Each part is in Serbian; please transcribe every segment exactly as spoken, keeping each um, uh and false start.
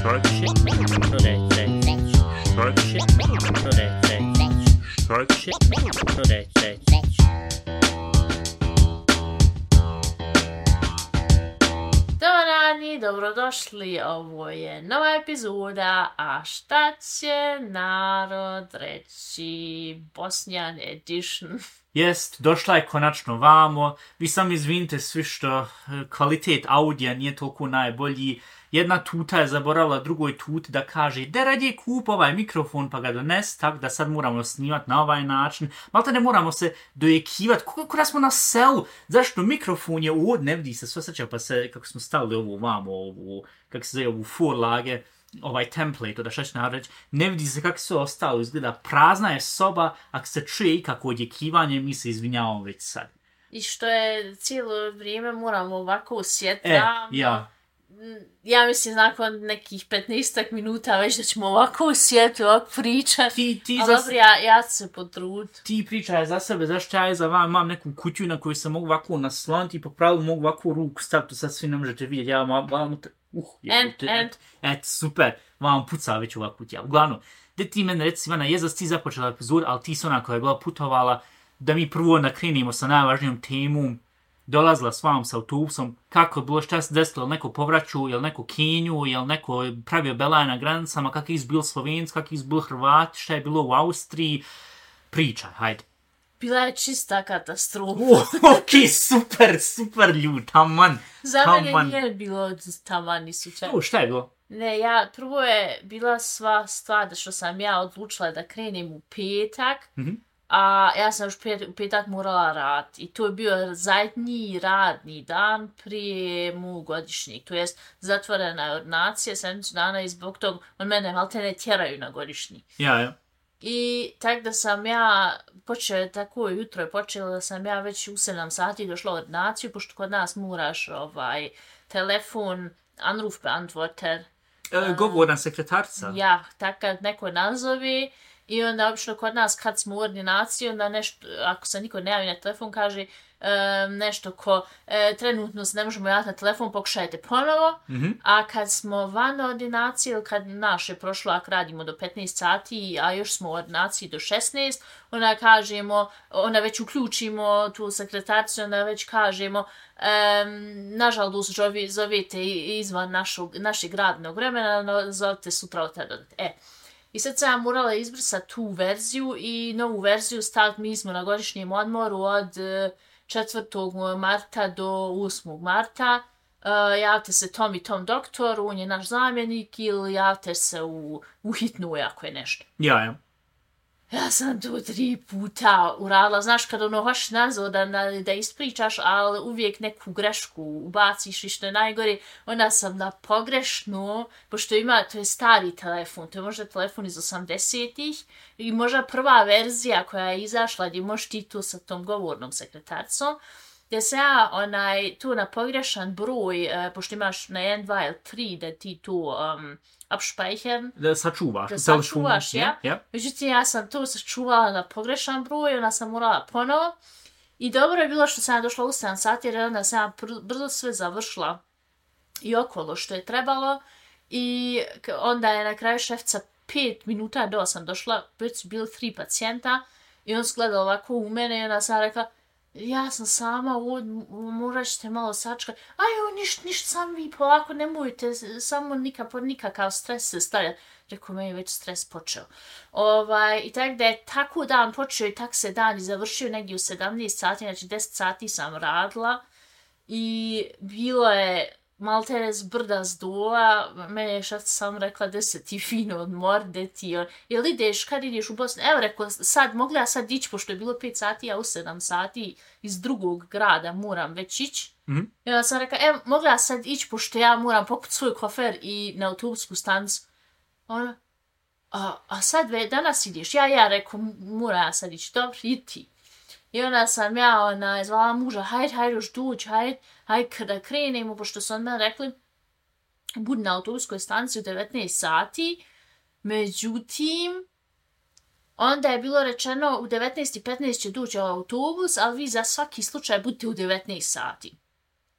Start shit. Today, today. Start shit. Today, today. Start shit. Today, today. Dobar dan i dobrodošli, ovo je nova epizoda, a šta će narod reći, Bosnian edition. Jest, došla je konačno vamo. Vi sam izvinite svi što kvalitet audija nije toliko najbolji. Jedna tuta je zaboravila drugoj tuti da kaže da radije kup ovaj mikrofon pa ga dones, tako da sad moramo snimati na ovaj način. Malta ne moramo se dojekivati, kako da smo na selu. Zašto mikrofon je ovdje, ne vidi se, sve sreća pa se, kako smo stavili ovu vamo, ovu, kako se zove, ovu forlage, ovaj template, da šta ću nareći, ne vidi se kako sve ostalo izgleda. Prazna je soba, ako se čuje ikako odjekivanje, mi se izvinjavamo već sad. I što je cijelo vrijeme moramo ovako osjetiti. E, ja. Ja mislim nakon nekih petnaestak minuta već da ćemo ovako osjetiti, ovako pričati. Ti, ti ali za... dobro, ja, ja ću se potruditi. Ti pričaj za sebe, zašto ja za vam imam neku kutiju na koju se mogu ovako nasloniti i po pravilu mogu ovako ruku staviti, sad svi ne možete vidjeti, ja vam vam... Uh, and, and. Et, super, vam puca već ova kutija. Uglavnom, gdje ti mene reci, Ivana, je za ti započela epizod, ali ti si ona koja je bila putovala, da mi prvo nakrenimo sa najvažnijom temom, dolazila s vam sa autobusom, kako je bilo, šta se desilo, neko povraću, jel neko Kenju, jel neko pravio belaje na granicama, kak je izbil Slovenci, kak je izbil Hrvati, šta je bilo u Austriji, pričaj, hajde. Bila je čista katastrofa. Oh, ok, super, super ljud, taman. Za mene nije bilo taman ni slučajno. O, šta je bilo? Ne, ja, prvo je bila sva stvar da što sam ja odlučila da krenem u petak, mm-hmm. a ja sam još pet, u petak morala raditi. I to je bio zadnji radni dan prije mog godišnjeg. To jest zatvorena je ordinacija sedmicu dana i zbog tog on mene maltene tjeraju na godišnji. Ja, ja. I tak da sam ja počela, tako jutro je počela da sam ja već u sedam sati došla u ordinaciju, pošto kod nas moraš ovaj telefon, anruf beantworter. E, govorna sekretarca. Ja, tako neko nazove. I onda obično kod nas kad smo u ordinaciji, onda nešto, ako se niko ne javi na telefon, kaže um, nešto ko e, trenutno se ne možemo javiti na telefon, pokušajte ponovo. Mm-hmm. A kad smo van ordinacije, ili kad naš je prošlo, ako radimo do petnaest sati, a još smo u ordinaciji do šesnaest, onda kažemo, onda već uključimo tu sekretarcu, onda već kažemo, um, nažalost zovete izvan našog, našeg radnog vremena, no, zovete sutra od tada. E, I sad sam morala izbrisati tu verziju i novu verziju staviti. Mi smo na godišnjem odmoru od četvrtog marta do osmog marta. Uh, javite se tom i tom doktoru, on je naš zamjenik, ili javite se u, u hitnu ako je nešto. Ja, ja. Ja sam to tri puta uradila. Znaš, kada ono hoš nazvo da, da ispričaš, ali uvijek neku grešku ubaciš i što je najgore, onda sam na pogrešno, pošto ima, to je stari telefon, to je možda telefon iz osamdesetih i možda prva verzija koja je izašla gdje možeš ti tu sa tom govornom sekretarcom, gdje se ja onaj, tu na pogrešan broj, uh, pošto imaš na jedan, dva ili tri da ti tu um, abspeichern. Da sačuvaš. Da sačuvaš, ja. Ja. Međutim, ja sam to sačuvala na pogrešan broj, onda sam morala ponovo. I dobro je bilo što sam došla u sedam sati, jer onda sam brzo sve završila i okolo što je trebalo. I onda je na kraju šefca pet minuta do sam došla, već su bili tri pacijenta i on sgleda ovako u mene i onda sam rekla, ja sam sama, morat ćete malo sačekati. Ajo, ništa, ništa, sam vi polako, nemojte, samo nikak, nikakav stres se stavlja. Rekao, meni već stres počeo. Ovaj, I tako da je tako dan počeo i tako se dan i završio negdje u sedamnaest sati, znači deset sati sam radila. I bilo je maltere s brda s dola, mene je šef sam rekla da se ti fino odmor, da ti, jel ideš, kad ideš u Bosnu? Evo rekao, sad, mogla ja sad ići, pošto je bilo pet sati, a u sedam sati iz drugog grada moram već ići. Mm-hmm. I onda sam rekla, evo, mogla ja sad ići, pošto ja moram poput svoj kofer i na autobusku stanicu. Ona, a, a sad ve, danas ideš? Ja, ja rekao, moram ja sad ići, dobro, idi ti. I onda sam ja ona, zvala muža, hajde, hajde još doći, hajde, hajde da krenemo, pošto su onda rekli, budi na autobuskoj stanici u devetnaest sati, međutim, onda je bilo rečeno u devetnaest i petnaest će doći autobus, ali vi za svaki slučaj budite u devetnaest sati.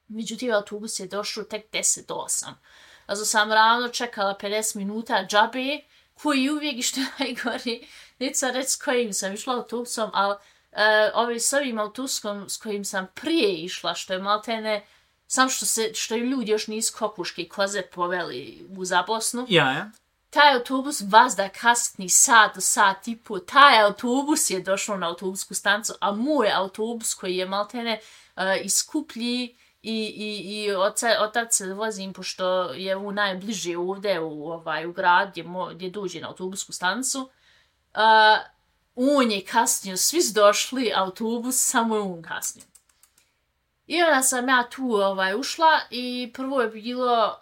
Međutim, autobus je došao tek deset do osam. Also sam ravno čekala pedeset minuta džabe, koji uvijek i što je najgori, neću sad reći s kojim sam išla autobusom, ali uh, ovi s ovim autobusom s kojim sam prije išla, što je maltene, sam što, se, što im ljudi još nisu kokuške i koze poveli u za Bosnu. Ja, ja. Taj autobus vazda kasni sat do sat i po, taj autobus je došao na autobusku stancu, a moj autobus koji je maltene uh, iskuplji i, i, i oca, otac se vozim, pošto je u najbliže ovdje u, ovaj, u grad gdje, mo, gdje dođe na autobusku stancu, uh, on je kasnio, svi su došli, autobus, samo je on kasnio. I onda sam ja tu ovaj, ušla i prvo je bilo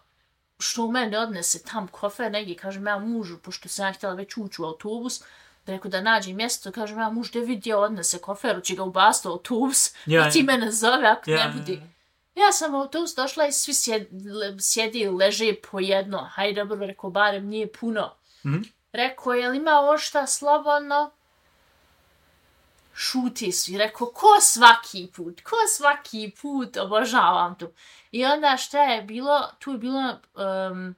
što u mene odnese tam kofer, negdje, kažem ja mužu, pošto sam ja htjela već ući u autobus, da rekao da nađe mjesto, kažem ja muž, da vidi odnese kofer, će ga ubasti u autobus, ja, i ti mene zove ako ja, ne budi. Ja, ja. ja sam u autobus došla i svi sjedi, leže po jedno, hajde dobro, rekao, barem nije puno. Mm-hmm. Rekao, je li ima ovo šta slobodno? Šuti svi, rekao, ko svaki put, ko svaki put, obožavam tu. I onda šta je bilo, tu je bilo, um,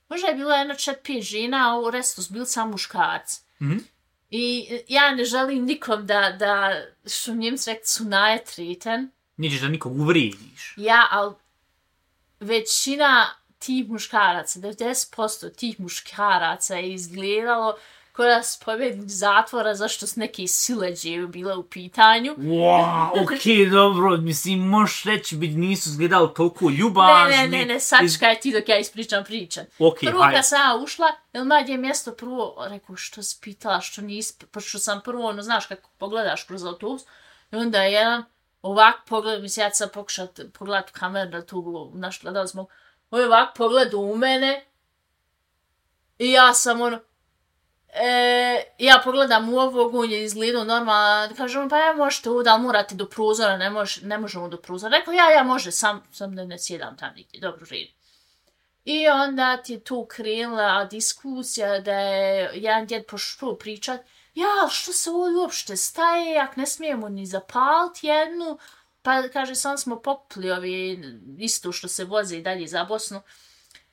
možda je bilo jedno čet pet žena, a u restu su bili samo muškarci. Mm-hmm. I ja ne želim nikom da, da što Njemci rekli, su najetriten. Nećeš da nikog uvrijediš. Ja, ali većina tih muškaraca, devedeset posto tih muškaraca je izgledalo koja su pobjegli zatvora zašto s neke sileđe bila u pitanju. Wow, okej, okay, dobro, mislim, možeš reći bi nisu izgledali toliko ljubazni. Ne, ne, ne, ne, sačkaj ti dok ja ispričam pričan. Okay, prvo kad sam ja ušla, jel ma gdje mjesto prvo, rekao, što si pitala, što nisi, pošto sam prvo, ono, znaš kako pogledaš kroz autobus, i onda je jedan ovak pogled, mislim, ja sam pokušat pogledat u kameru da tu našla da smo, on je ovak pogled u mene i ja sam ono, E, ja pogledam u ovog, on je izgledao normalno, kažem, pa ja možete ovdje, ali morate do prozora, ne, mož, ne možemo do prozora. Rekao, ja, ja može, sam, sam ne, ne sjedam tam nigdje, dobro, redim. I onda ti je tu krenula diskusija da je jedan djed pošao pričat, ja, što se ovdje uopšte staje, jak ne smijemo ni zapaliti jednu, pa kaže, sam smo popili ovi isto što se voze i dalje za Bosnu.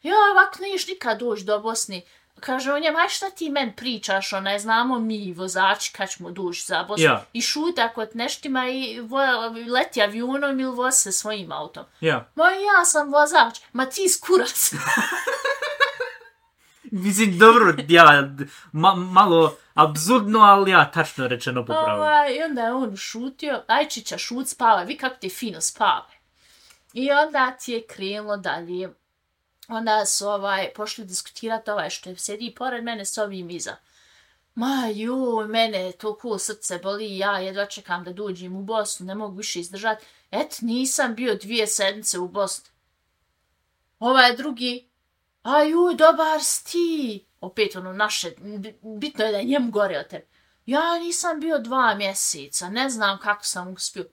Ja, ovak neš nikad doći do Bosni. Kaže on njema, aj šta ti men pričaš, onaj, znamo mi vozači kad ćemo doći za Bosnu. Ja. I šuta kod neštima i vo, leti avionom ili vozi se svojim autom. Ja. Ma ja sam vozač, ma ti skurac. Mislim, dobro, ja, ma, malo absurdno, ali ja, tačno rečeno popravo. Ovaj, I onda je on šutio, ajčića šut spava, vi kako te fino spava. I onda ti je krenulo dalje. Onda su ovaj, pošli diskutirati ovaj što je sjedi pored mene s ovim iza. Ma joj, mene toliko srce boli, ja jedva čekam da dođem u Bosnu, ne mogu više izdržati. Et, nisam bio dvije sedmice u Bosni. Ovaj drugi, a joj, dobar si ti. Opet ono naše, bitno je da je njemu gore od tebe. Ja nisam bio dva mjeseca, ne znam kako sam uspio.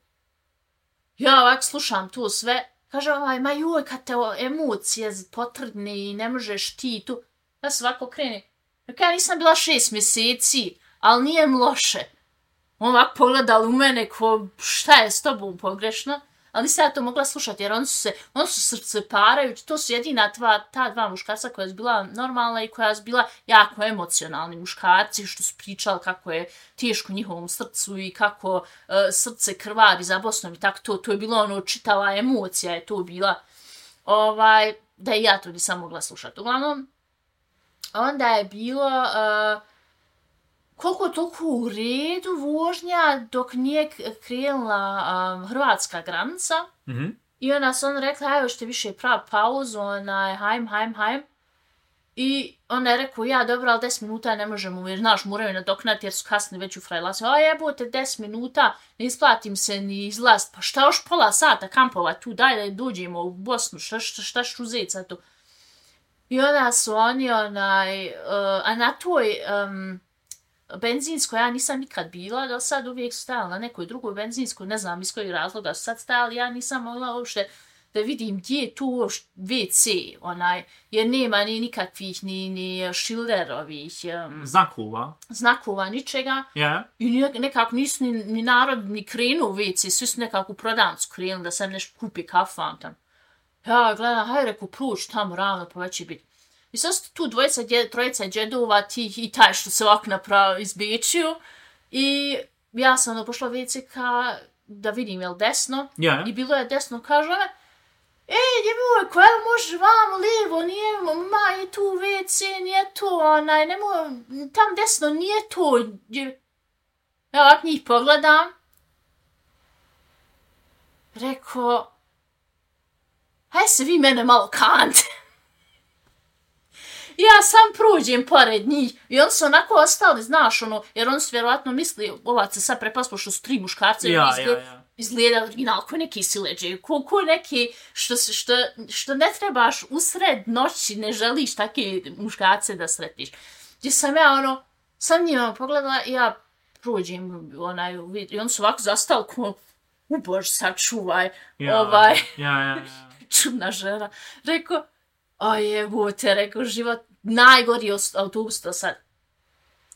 Ja ovak slušam to sve. Kaže ovaj, ma joj, kad te emocije potrgne i ne možeš ti tu. Ja svako krene. Ja nisam bila šest mjeseci, ali nije mi loše. On ovak pogledal u mene ko šta je s tobom pogrešno. Ali nisam ja to mogla slušati jer oni su se, oni su srce parajući. To su jedina tva, ta dva muškarca koja je bila normalna i koja je bila jako emocionalni muškarci što su pričali kako je teško njihovom srcu i kako uh, srce krvari za Bosnom i tako to. To je bilo ono čitava emocija je to bila. Ovaj, da i ja to nisam mogla slušati. Uglavnom, onda je bilo uh, koliko toliko u redu vožnja dok nije krenula um, hrvatska granica. Mm-hmm. I onda su on rekla, ajde što više pravi pauzu, onaj, hajm, hajm, hajm. I onda je rekao, ja dobro, ali deset minuta ne možemo, jer znaš, moraju nadoknati jer su kasni već u Frajlasi. A jebote, deset minuta, ne isplatim se ni izlast. Pa šta još pola sata kampova tu, daj da dođemo u Bosnu, šta, šta, šta ću uzeti sad tu. I onda su oni, onaj, uh, a na toj... Um, benzinsko, ja nisam nikad bila, do sad uvijek su stajala na nekoj drugoj benzinskoj, ne znam iz kojeg razloga su sad stajali, ja nisam mogla uopšte da vidim gdje je tu uopšte ve ce, onaj, jer nema ni nikakvih, ni, ni šilderovih um, znakova, znakova, ničega, yeah. I nekako nisu ni, ni narod ni krenuo u ve ce, svi su nekako u prodavnicu krenuli da sam nešto kupi kafan tam. Ja gledam, hajde reku, pruč tamo ravno, pa već će biti. I sad su tu dvojica, dje, trojica džedova, ti i taj što se ovako napravo izbičio. I ja sam ono pošla ve ce ka da vidim, jel desno? Ja. I bilo je desno, kaže ona, ej, djevojko, evo možeš vamo, lijevo, nije, ma, je tu ve ce, nije to, onaj, nemoj, tam desno, nije to. Ja ovak njih pogledam. Rekao, haj se vi mene malo kante. Ja sam prođem pored njih i oni su onako ostali, znaš, ono, jer oni su vjerovatno misli, ovac se sad prepaspo što su tri muškarce, ja, izgleda, ja, ja. izgleda original, ko neki sileđe, ko, ko neki što, što, što ne trebaš usred noći, ne želiš takve muškarce da sretiš. Gdje sam ja, ono, sam njima pogledala i ja prođem, onaj, i oni su ovako zastali ko, u Bož, sačuvaj, ja, ovaj, ja, ja, ja. čudna žena. Rekao, a jebote, rekao, život najgori autobus to sad.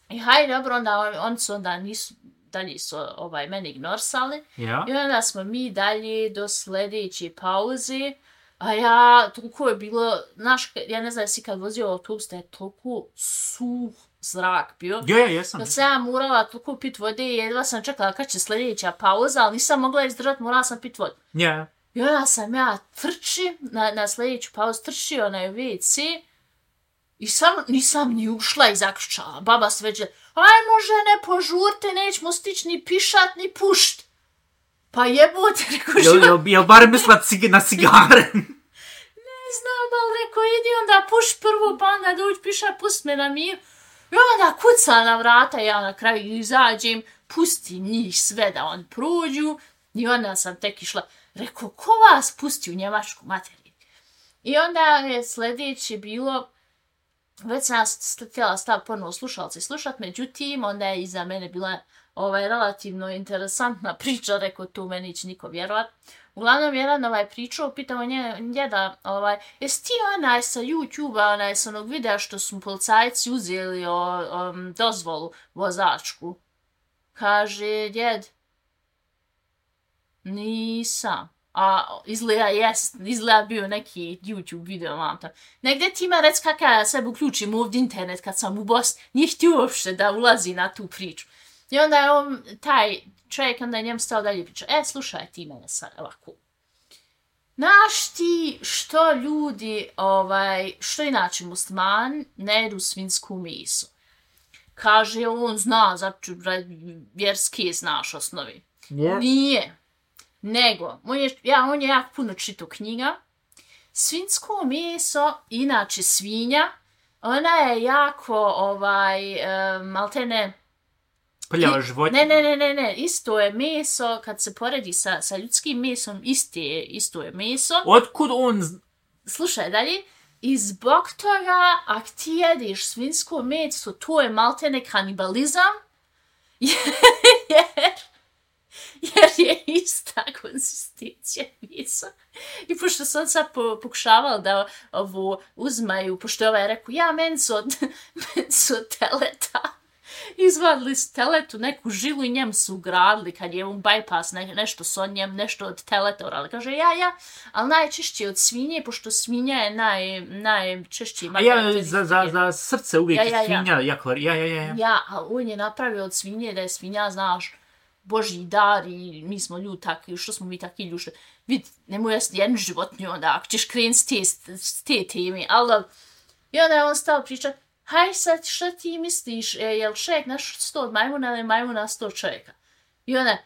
I hajde, dobro, onda on, on su onda nisu, dalje su ovaj, mene ignorsali. Ja. I onda smo mi dalje do sljedeće pauze. A ja, toliko je bilo, znaš, ja ne znam si kad vozio autobus, da je toliko suh zrak bio. Ja, ja, jesam. Da sam ja morala toliko pit vode i jedva sam čekala kad će sljedeća pauza, ali nisam mogla izdržati, morala sam pit vodu. Ja. I onda sam ja trči, na, na sljedeću pauzu trči onaj ve ce i sam nisam ni ušla i zaključala. Baba sve već, ajmo žene, požurte, nećemo stići ni pišat, ni pušt. Pa jebote, rekao život. Jel, jel barem mislila cig- na cigare? Ne znam, ali rekao, idi onda puš prvo, pa onda dođi pišat, pust me na mir. I onda kuca na vrata, ja na kraju izađem, pusti njih sve da on prođu. I onda sam tek išla, rekao, ko vas pusti u njemačku materiju? I onda je sljedeće bilo, već sam htjela stav ponovo slušalci slušat, međutim, onda je iza mene bila ovaj, relativno interesantna priča, rekao, tu meni će niko vjerovat. Uglavnom, jedan ovaj pričao, pitao nje, njeda, ovaj, jesi ti onaj sa YouTube-a, onaj sa onog videa što su policajci uzeli o, o, dozvolu vozačku? Kaže, djed, nisam. A izgleda jest, izgleda bio neki YouTube video, mam tam. Negdje ti ima rec kakav ja sebi uključim ovdje internet kad sam u Bosni, nije htio uopšte da ulazi na tu priču. I onda je on, taj čovjek, onda je njem stao dalje priča, e, slušaj ti mene sad ovako. Znaš ti što ljudi, ovaj, što inače musliman, ne jedu svinsku meso? Kaže, on zna, zato vjerski znaš osnovi. Yeah. Nije. Nego, on je, ja, on je jako puno čitao knjiga. Svinjsko meso, inače svinja, ona je jako, ovaj, um, maltene... Prljava životinja. Ne, ne, ne, ne, ne, isto je meso, kad se poredi sa, sa ljudskim mesom, isti je, isto je meso. Otkud on... Slušaj dalje, i zbog toga, ako ti jedeš svinjsko meso, to je maltene kanibalizam, jer... jer je ista konsistencija mesa. I pošto sam sad po, pokušavala da ovo uzmaju, pošto je ovaj rekao, ja menco od, menco od teleta. Izvadili su teletu, neku žilu i njem su ugradili, kad je un bypass, ne, nešto s on njem, nešto od teleta urali. Kaže, ja, ja, ali najčešće od svinje, pošto svinja je naj, najčešće... A ja, za, za, za srce uvijek ja, ja, ja. svinja, jako, ja, ja, ja. Ja, ali on je napravio od svinje da je svinja, znaš, Božji dar i mi smo ljudi takvi, što smo mi takvi ljudi, vid, nemoj jesti jednu životinju onda, ako ćeš krenuti s te, s te teme, ali i onda je on stao pričat, haj sad, šta ti misliš, e, je li čovjek nastao od majmuna ili majmun nastao od čovjeka? I onda,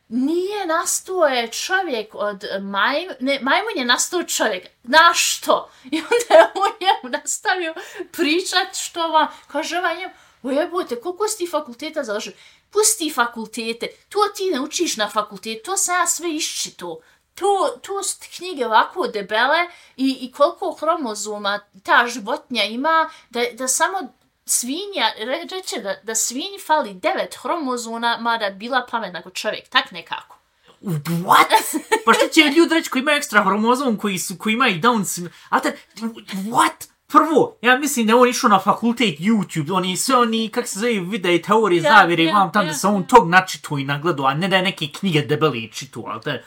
nije nastao je čovjek od majmuna, ne, majmun je nastao od čovjeka, znaš što? I onda je on njemu nastavio pričat što vam, kaže ovaj njemu, o jebote, koliko si ti fakulteta završio? Pusti fakultete, to ti ne učiš na fakultetu, to sam ja sve iščito. To, to su knjige ovako debele i, i koliko hromozoma ta životinja ima, da, da samo svinja, re, reče da, da svinji fali devet hromozoma, mada bila pametna kod čovjek, tak nekako. What? Pa što će ljudi reći koji imaju ekstra hromozom, koji, su, koji imaju Down syndrome? A te, what? Prvo, ja mislim da on išao na fakultet YouTube, oni sve oni, kak se zove, videi, teorije, ja, zavire, ja, vam tam ja. da se on tog načitao i nagledao, a ne da je neke knjige debeli čitao, ali te...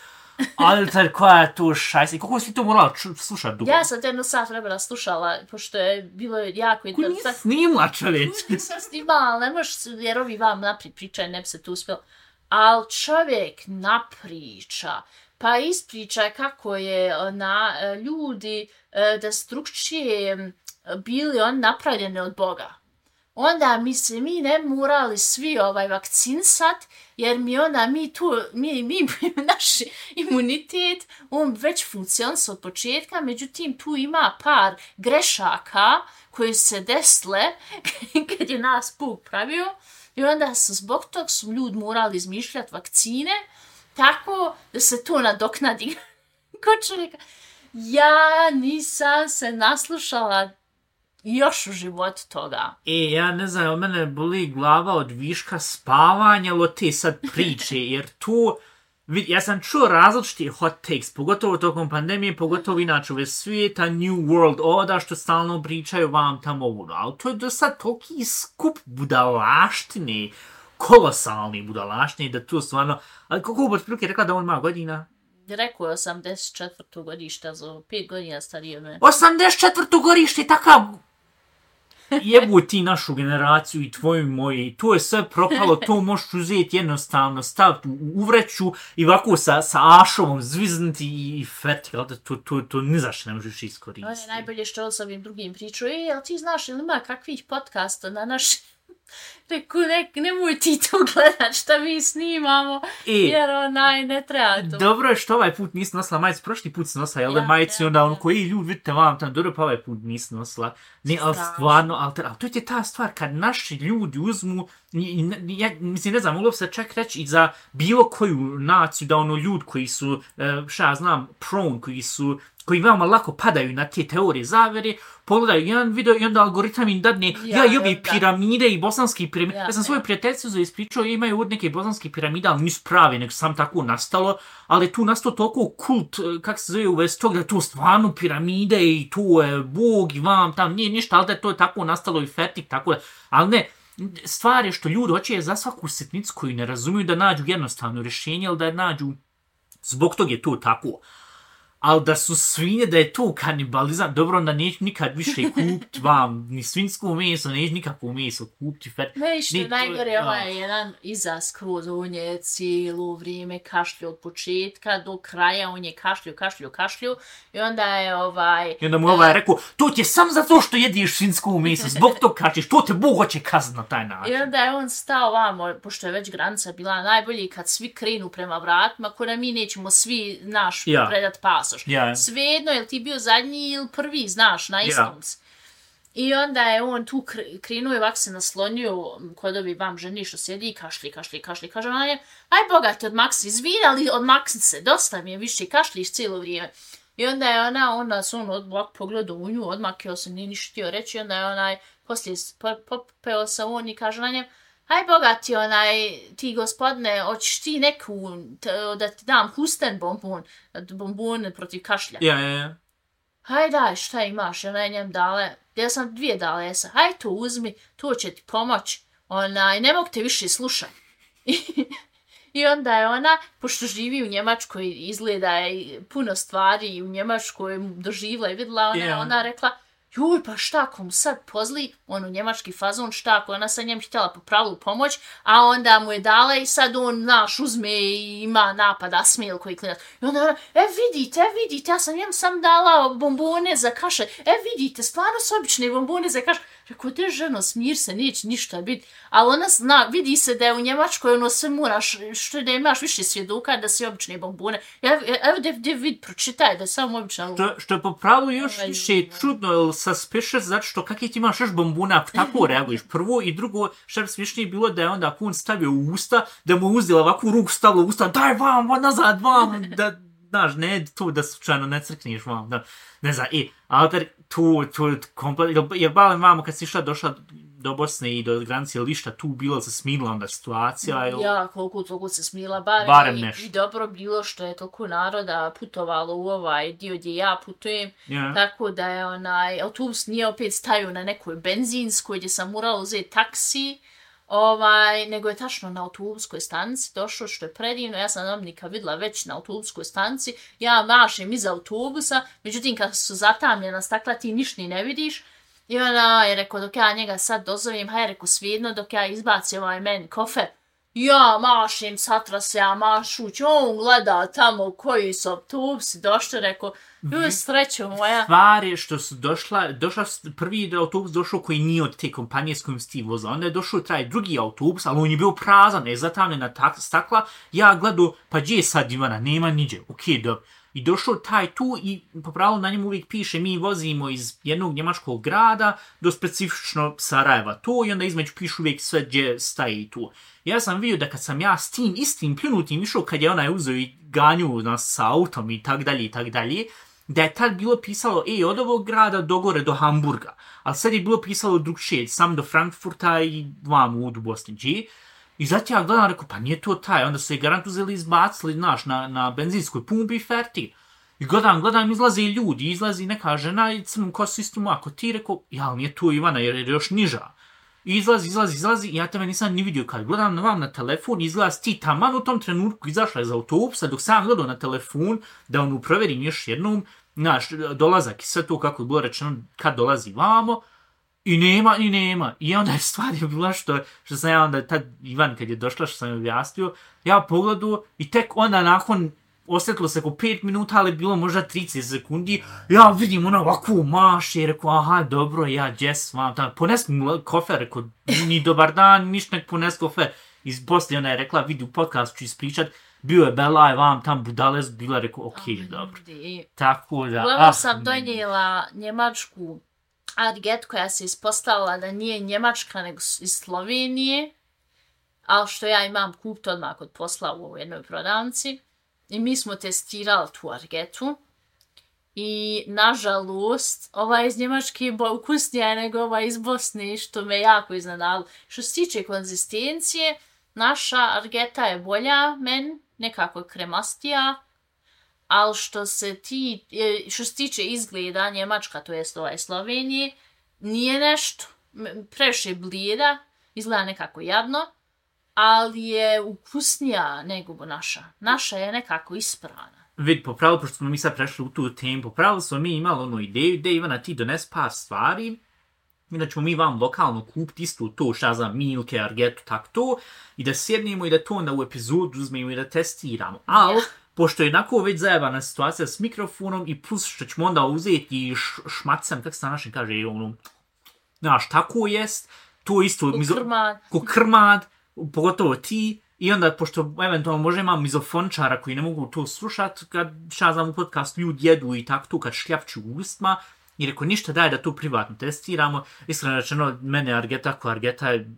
Ali tad koja je to šajsa? I kako si to morala slušati dugo? Ja sam te jedno sat vremena slušala, pošto je bilo jako interesantno. Ko nije snimla, čovječ? Nisam snimala, ali ne možeš, jer ovi vam naprijed pričaju, ne bi se tu uspjelo. Ali čovjek napriča, pa ispriča kako je na ljudi da drugčije bili on napravljeni od Boga. Onda mi se mi ne morali svi ovaj vakcinsat, jer mi onda mi tu, mi, mi naš imunitet, on već funkcionira od početka, međutim tu ima par grešaka koji se desile kad je nas Bog pravio i onda su zbog tog su ljudi morali izmišljati vakcine tako da se to nadoknadi. Ko čovjeka, ja nisam se naslušala još u životu toga. E, ja ne znam, mene boli glava od viška spavanja, ali od te sad priče, jer tu, ja sam čuo različite hot takes, pogotovo tokom pandemije, pogotovo inače ove svijeta, New World Order, što stalno pričaju vam tamo ovo, ali to je do sad toliki skup budalaštine, kolosalni budalaštine, da tu stvarno, ali koliko bi otprilike rekla da on ima godina? Rekao je osamdeset četvrto godište, za pet godina starije me. osamdeset četvrto godište, takav... Jebu ti našu generaciju i tvoju moju, to je sve propalo, to možeš uzeti jednostavno, staviti u uvreću i ovako sa, sa ašovom zviznuti i fertik, ali to, to, to ni zašto ne možeš iskoristiti. Ono je najbolje što s ovim drugim priču. E, ali ti znaš, ili ima kakvih podcasta na naš... Reku, ne, nemoj ti to gledat šta mi snimamo, e, jer onaj, ne treba to. Dobro je što ovaj put nisi nosila majicu, prošli put si nosila, jel da ja, majicu, ja, onda ono koji ljudi, vidite vam tam, dobro pa ovaj put nisi nosila. Ne, ali stvarno, ali, ali to je ta stvar, kad naši ljudi uzmu, ja, mislim, ne znam, moglo se čak reći i za bilo koju naciju, da ono ljudi koji su, šta ja znam, prone, koji su, koji veoma lako padaju na te teorije zavere, pogledaju jedan video i onda algoritam im dadne, ja, ja i ovi piramide i bosanski piramide. Ja, ja sam svoju ja. prijateljicu za ispričao, imaju od neke bosanske piramide, ali nisu prave, nego sam tako nastalo, ali tu nastao toliko kult, kak se zove u vezi tog, da to stvarno piramide i tu je Bog i vam tam, nije ništa, ali da to je tako nastalo i fertik, tako da, ali ne, stvar je što ljudi hoće za svaku sitnicu koju ne razumiju da nađu jednostavno rješenje, ali da nađu, zbog tog je to tako. Ali da su svinje, da je to kanibalizam, dobro, onda neću nikad više kupiti vam ni svinjsko meso, neću nikakvo meso kupiti. Ne, što ne, najgore, ovo je jedan izaz skroz, on je cijelo vrijeme kašlju od početka do kraja, on je kašlju, kašlju, kašlju i onda je ovaj... I onda mu ovaj rekao, to ti je sam zato što jediš svinjsko meso, zbog to kačiš, to te Bog hoće kazniti na taj način. I onda je on stao vamo, pošto je već granica bila najbolji, kad svi krenu prema vratima, ko da mi nećemo svi naš ja. predat pas. Yeah. Svejedno, je li ti bio zadnji ili prvi, znaš, na istom. Yeah. I onda je on tu krenuo i ovak se naslonio kod ovi vam ženi što sjedi i kašli, kašli, kašli. Kaže ona je, aj Boga ti odmaksi, izvinali odmaksi se, dosta mi je više, kašliš cijelo vrijeme. I onda je ona, onda su on odmah pogledao u nju, odmakio se, nije ništa htio reći. Onda je onaj, poslije popeo se on i kaže na njem, aj Boga ti onaj, ti gospodine, hoćeš ti neku, da ti dam husten bombon, bombon protiv kašlja. Ja, ja, ja. Haj daj, šta imaš? Ona je njem dale, ja sam dvije dale, ja sam, haj to uzmi, to će ti pomoć, onaj, ne mogu te više slušati. I onda je ona, pošto živi u Njemačkoj, izgleda je puno stvari u Njemačkoj doživla i vidjela, ona, yeah. ona rekla, juj, pa šta ako mu sad pozli, on u njemački fazon, šta ako ona sa njem htjela po pravilu pomoć, a onda mu je dala i sad on, naš, uzme i ima napad, asmil koji klinac. I onda ona, e vidite, e vidite, ja sam njem sam dala bombone za kašalj, e vidite, stvarno su obične bombone za kašalj. Rekao, te ženo, smir se, neće ništa biti. Ali ona zna, vidi se da je u Njemačkoj ono sve moraš, što da imaš više svjedoka da si obične bombone. Evo da gdje vid, pročitaj da je samo obična. Što, što je po pravilu još više čudno, ili suspicious, zato što kak je ti imaš još bombona, ako tako reaguješ. Prvo i drugo, što je smiješnije bilo da je onda ako on stavio u usta, da mu uzela ovakvu ruku, stavila u usta, daj vam, nazad vam, da, znaš, ne to da slučajno ne crkneš vam, da, ne znam, i, ali tu, tu, komplet, jer balim vamo kad si išla, došla do Bosne i do granice, ili išta tu bilo se smilila onda situacija? Ili... Ja, koliko toliko se smila, barem, barem i, i dobro bilo što je toliko naroda putovalo u ovaj dio gdje ja putujem, yeah. tako da je onaj autobus nije opet stajao na nekoj benzinskoj gdje sam morala uzeti taksi, Ovaj, nego je tačno na autobuskoj stanici došlo, što je predivno, ja sam Dominika vidjela već na autobuskoj stanici, ja mašem iz autobusa, međutim kad su zatamljena stakla ti ništa ni ne vidiš, i ona je rekao dok ja njega sad dozovem, haj rekao svijedno dok ja izbacim ovaj meni kofer, ja mašem, satra se ja mašuć, on gleda tamo koji su autobusi došli, rekao, joj srećo moja. Stvar je što su došla, došla prvi autobus došao koji nije od te kompanije s kojim si ti vozila. Onda je došao taj drugi autobus, ali on je bio prazan, ne zatamljena stakla. Ja gledao, pa gdje je sad Ivana, nema niđe, okej, okay, dobro. I došao taj tu i po pravilu na njemu uvijek piše mi vozimo iz jednog njemačkog grada do specifično Sarajeva to i onda između pišu uvijek sve gdje staje tu. Ja sam vidio da kad sam ja s tim istim pljunutim išao kad je onaj uzeo i ganju nas sa autom i tak dalje i tak dalje, da je tad bilo pisalo ej od ovog grada do gore do Hamburga, ali sad je bilo pisalo drugčije, sam do Frankfurta i vam u Bosni G. I zato ja gledam, rekao, pa nije to taj, onda su je garant uzeli izbacili, znaš, na, na benzinskoj pumpi i ferti. I gledam, gledam, izlaze i ljudi, izlazi neka žena i crnom kosu istu mako. Ti rekao, ja, ali nije to Ivana, jer je još niža. I izlazi, izlazi, izlazi, i ja tebe nisam ni vidio kad gledam na vam na telefon, izlazi ti taman u tom trenutku izašla iz autobusa, dok sam gledao na telefon, da onu proverim još jednom, znaš, dolazak i sve to kako je bilo rečeno kad dolazi vamo, i nema, i nema. I onda je stvar je bila što, što sam ja onda, tad Ivan kad je došla, što sam je objasnio, ja pogledao i tek onda nakon, osjetilo se oko pet minuta, ali bilo možda trideset sekundi, ja vidim ona ovako maše i rekao, aha, dobro, ja, Jess, vam tamo, pones mi kofer, rekao, ni dobar dan, ništa nek pones kofer. I poslije ona je rekla, vidi u podcastu ću ispričat, bio je Belaj, vam tam budale, bila rekao, okej, okay, dobro. Tako da, Uglavnom ah, sam donijela njemačku Arget koja se ispostavila da nije njemačka nego iz Slovenije, ali što ja imam kupit odmah kod posla u jednoj prodavnici. I mi smo testirali tu Argetu i nažalost ova iz Njemačke je ukusnija nego ova iz Bosne, što me jako iznenadilo. Što se tiče konzistencije, naša Argeta je bolja men, nekako kremastija, ali što se, ti, što se tiče izgleda Njemačka, to jest ovaj Slovenije, nije nešto, previše blijeda, izgleda nekako jadno, ali je ukusnija nego naša. Naša je nekako isprana. Vid, popravili, pošto smo mi sad prešli u tu temu, popravili smo mi imali onu ideju, da Ivana ti dones par stvari, i da ćemo mi vam lokalno kupiti isto to, šta znam, Milke, Argetu, tak to, i da sjednemo i da to onda u epizodu uzmemo i da testiramo. Ali, yeah. Pošto je jednako već zajebana situacija s mikrofonom i plus što ćemo onda uzeti i šmacem, kako se na našem kaže, ono, znaš, tako jest, to isto... Ko mizo, krmad. Ko krmad, pogotovo ti, i onda, pošto eventualno možda imam mizofončara koji ne mogu to slušat, kad šta znam u podcastu ljudi jedu i tako to, kad šljapću u ustima, i rekao, ništa daj da to privatno testiramo. Iskreno rečeno, mene Argeta, ko Argeta je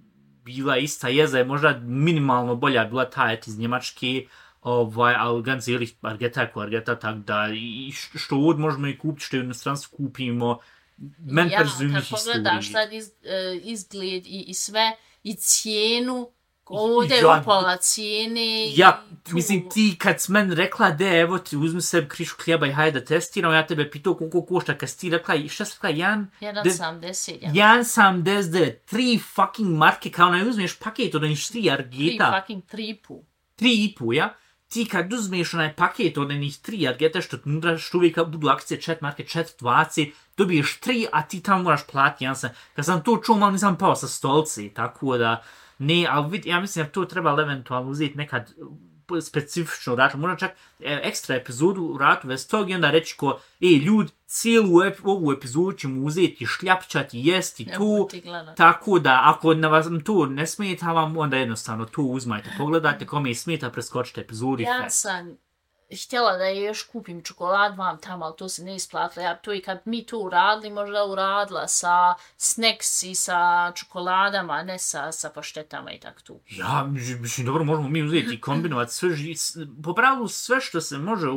bila ista jeza, je možda minimalno bolja bila ta et iz Njemačke, ovaj, ali ganz ehrlich, Argeta je ko Argeta, tako da i što od možemo i kupiti, što je u inostranstvu kupimo, men ja, personalnih kad pogledaš sad iz, uh, izgled i, i sve, i cijenu, ovdje je upala cijene. Ja, tu... mislim, ti kad si meni rekla, de, evo ti uzmi sebi krišu hljeba i hajde da testiram, ja tebe pitao koliko košta, kad si ti rekla, šta si rekla, jedan... jedan sedamdeset. jedan sedamdeset, tri fucking marke, kao ne uzmeš paket od onih tri Argeta. Tri fucking tripu. Tri i pu, ja? Ti kad uzmeš onaj paket od onih tri Argeta, što unutra što uvijek budu akcije četiri marke, četiri dvadeset, dobiješ tri, a ti tamo moraš platiti. Ja sam, kad sam to čuo, malo nisam pao sa stolci, tako da... Ne, ali vid, ja mislim da to treba eventualno uzeti nekad specifično račun. Možda čak e, ekstra epizodu u ratu vez tog i onda reći ko, ej, ljud, cijelu ep, ovu epizodu ćemo uzeti, šljapčati, jesti tu. Tako da, ako na vas to ne smeta vam, onda jednostavno to uzmajte. Pogledajte kome je smeta, preskočite epizodu. Ja sam htjela da je još kupim čokolad vam tamo, ali to se ne isplatilo. Ja to i kad mi to uradili, možda uradila sa snacks i sa čokoladama, ne sa, sa paštetama i tak tu. Ja, mislim, dobro, možemo mi uzeti i kombinovati sve, po pravilu sve što se može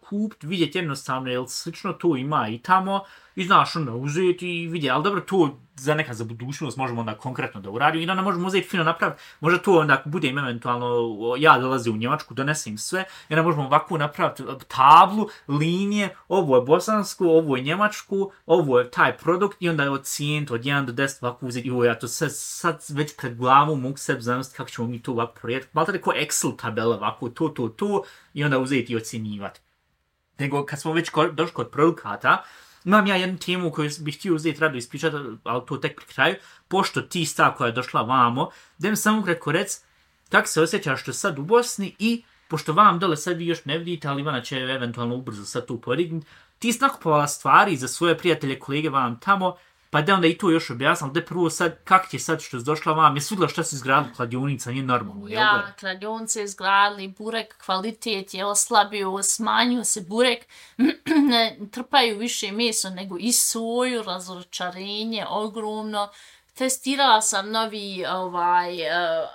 kupiti, vidjeti jednostavno, jer slično to ima i tamo, i znaš onda uzeti i vidjeti, ali dobro to za neka za budućnost možemo onda konkretno da uradimo i onda možemo uzeti fino napraviti, možda to onda ako budem eventualno, ja dolazim u Njemačku, donesem sve i onda možemo ovako napraviti tablu, linije, ovo je bosansko, ovo je njemačku, ovo je taj produkt i onda ocijeniti od jedan do deset ovako uzeti, joj, ja to sad, sad već pred glavom mogu sebi zamisliti kako ćemo mi to ovako projekti, malo tako Excel tabela ovako, to, to, to i onda uzeti i ocjenjivati. Nego kad smo već došli kod produkata, imam ja jednu temu koju bih htio uzeti rado ispričati, ali to tek pri kraju, pošto ti stav koja je došla vamo, da mi samo kratko rec kako se osjećaš što sad u Bosni i pošto vam dole sad vi još ne vidite, ali Ivana će eventualno ubrzo sad tu podignuti, ti si nakupovala stvari za svoje prijatelje, kolege vam tamo, pa da onda i to još objasnila, da prvo sad, kak ti je sad što si došla vam, jesi vidjela šta si izgradila kladionica, nije normalno, jel Ja, da? kladionice izgradili, burek, kvalitet je oslabio, smanjio se burek, ne trpaju više meso nego i soju, razočarenje, ogromno. Testirala sam novi ovaj, uh,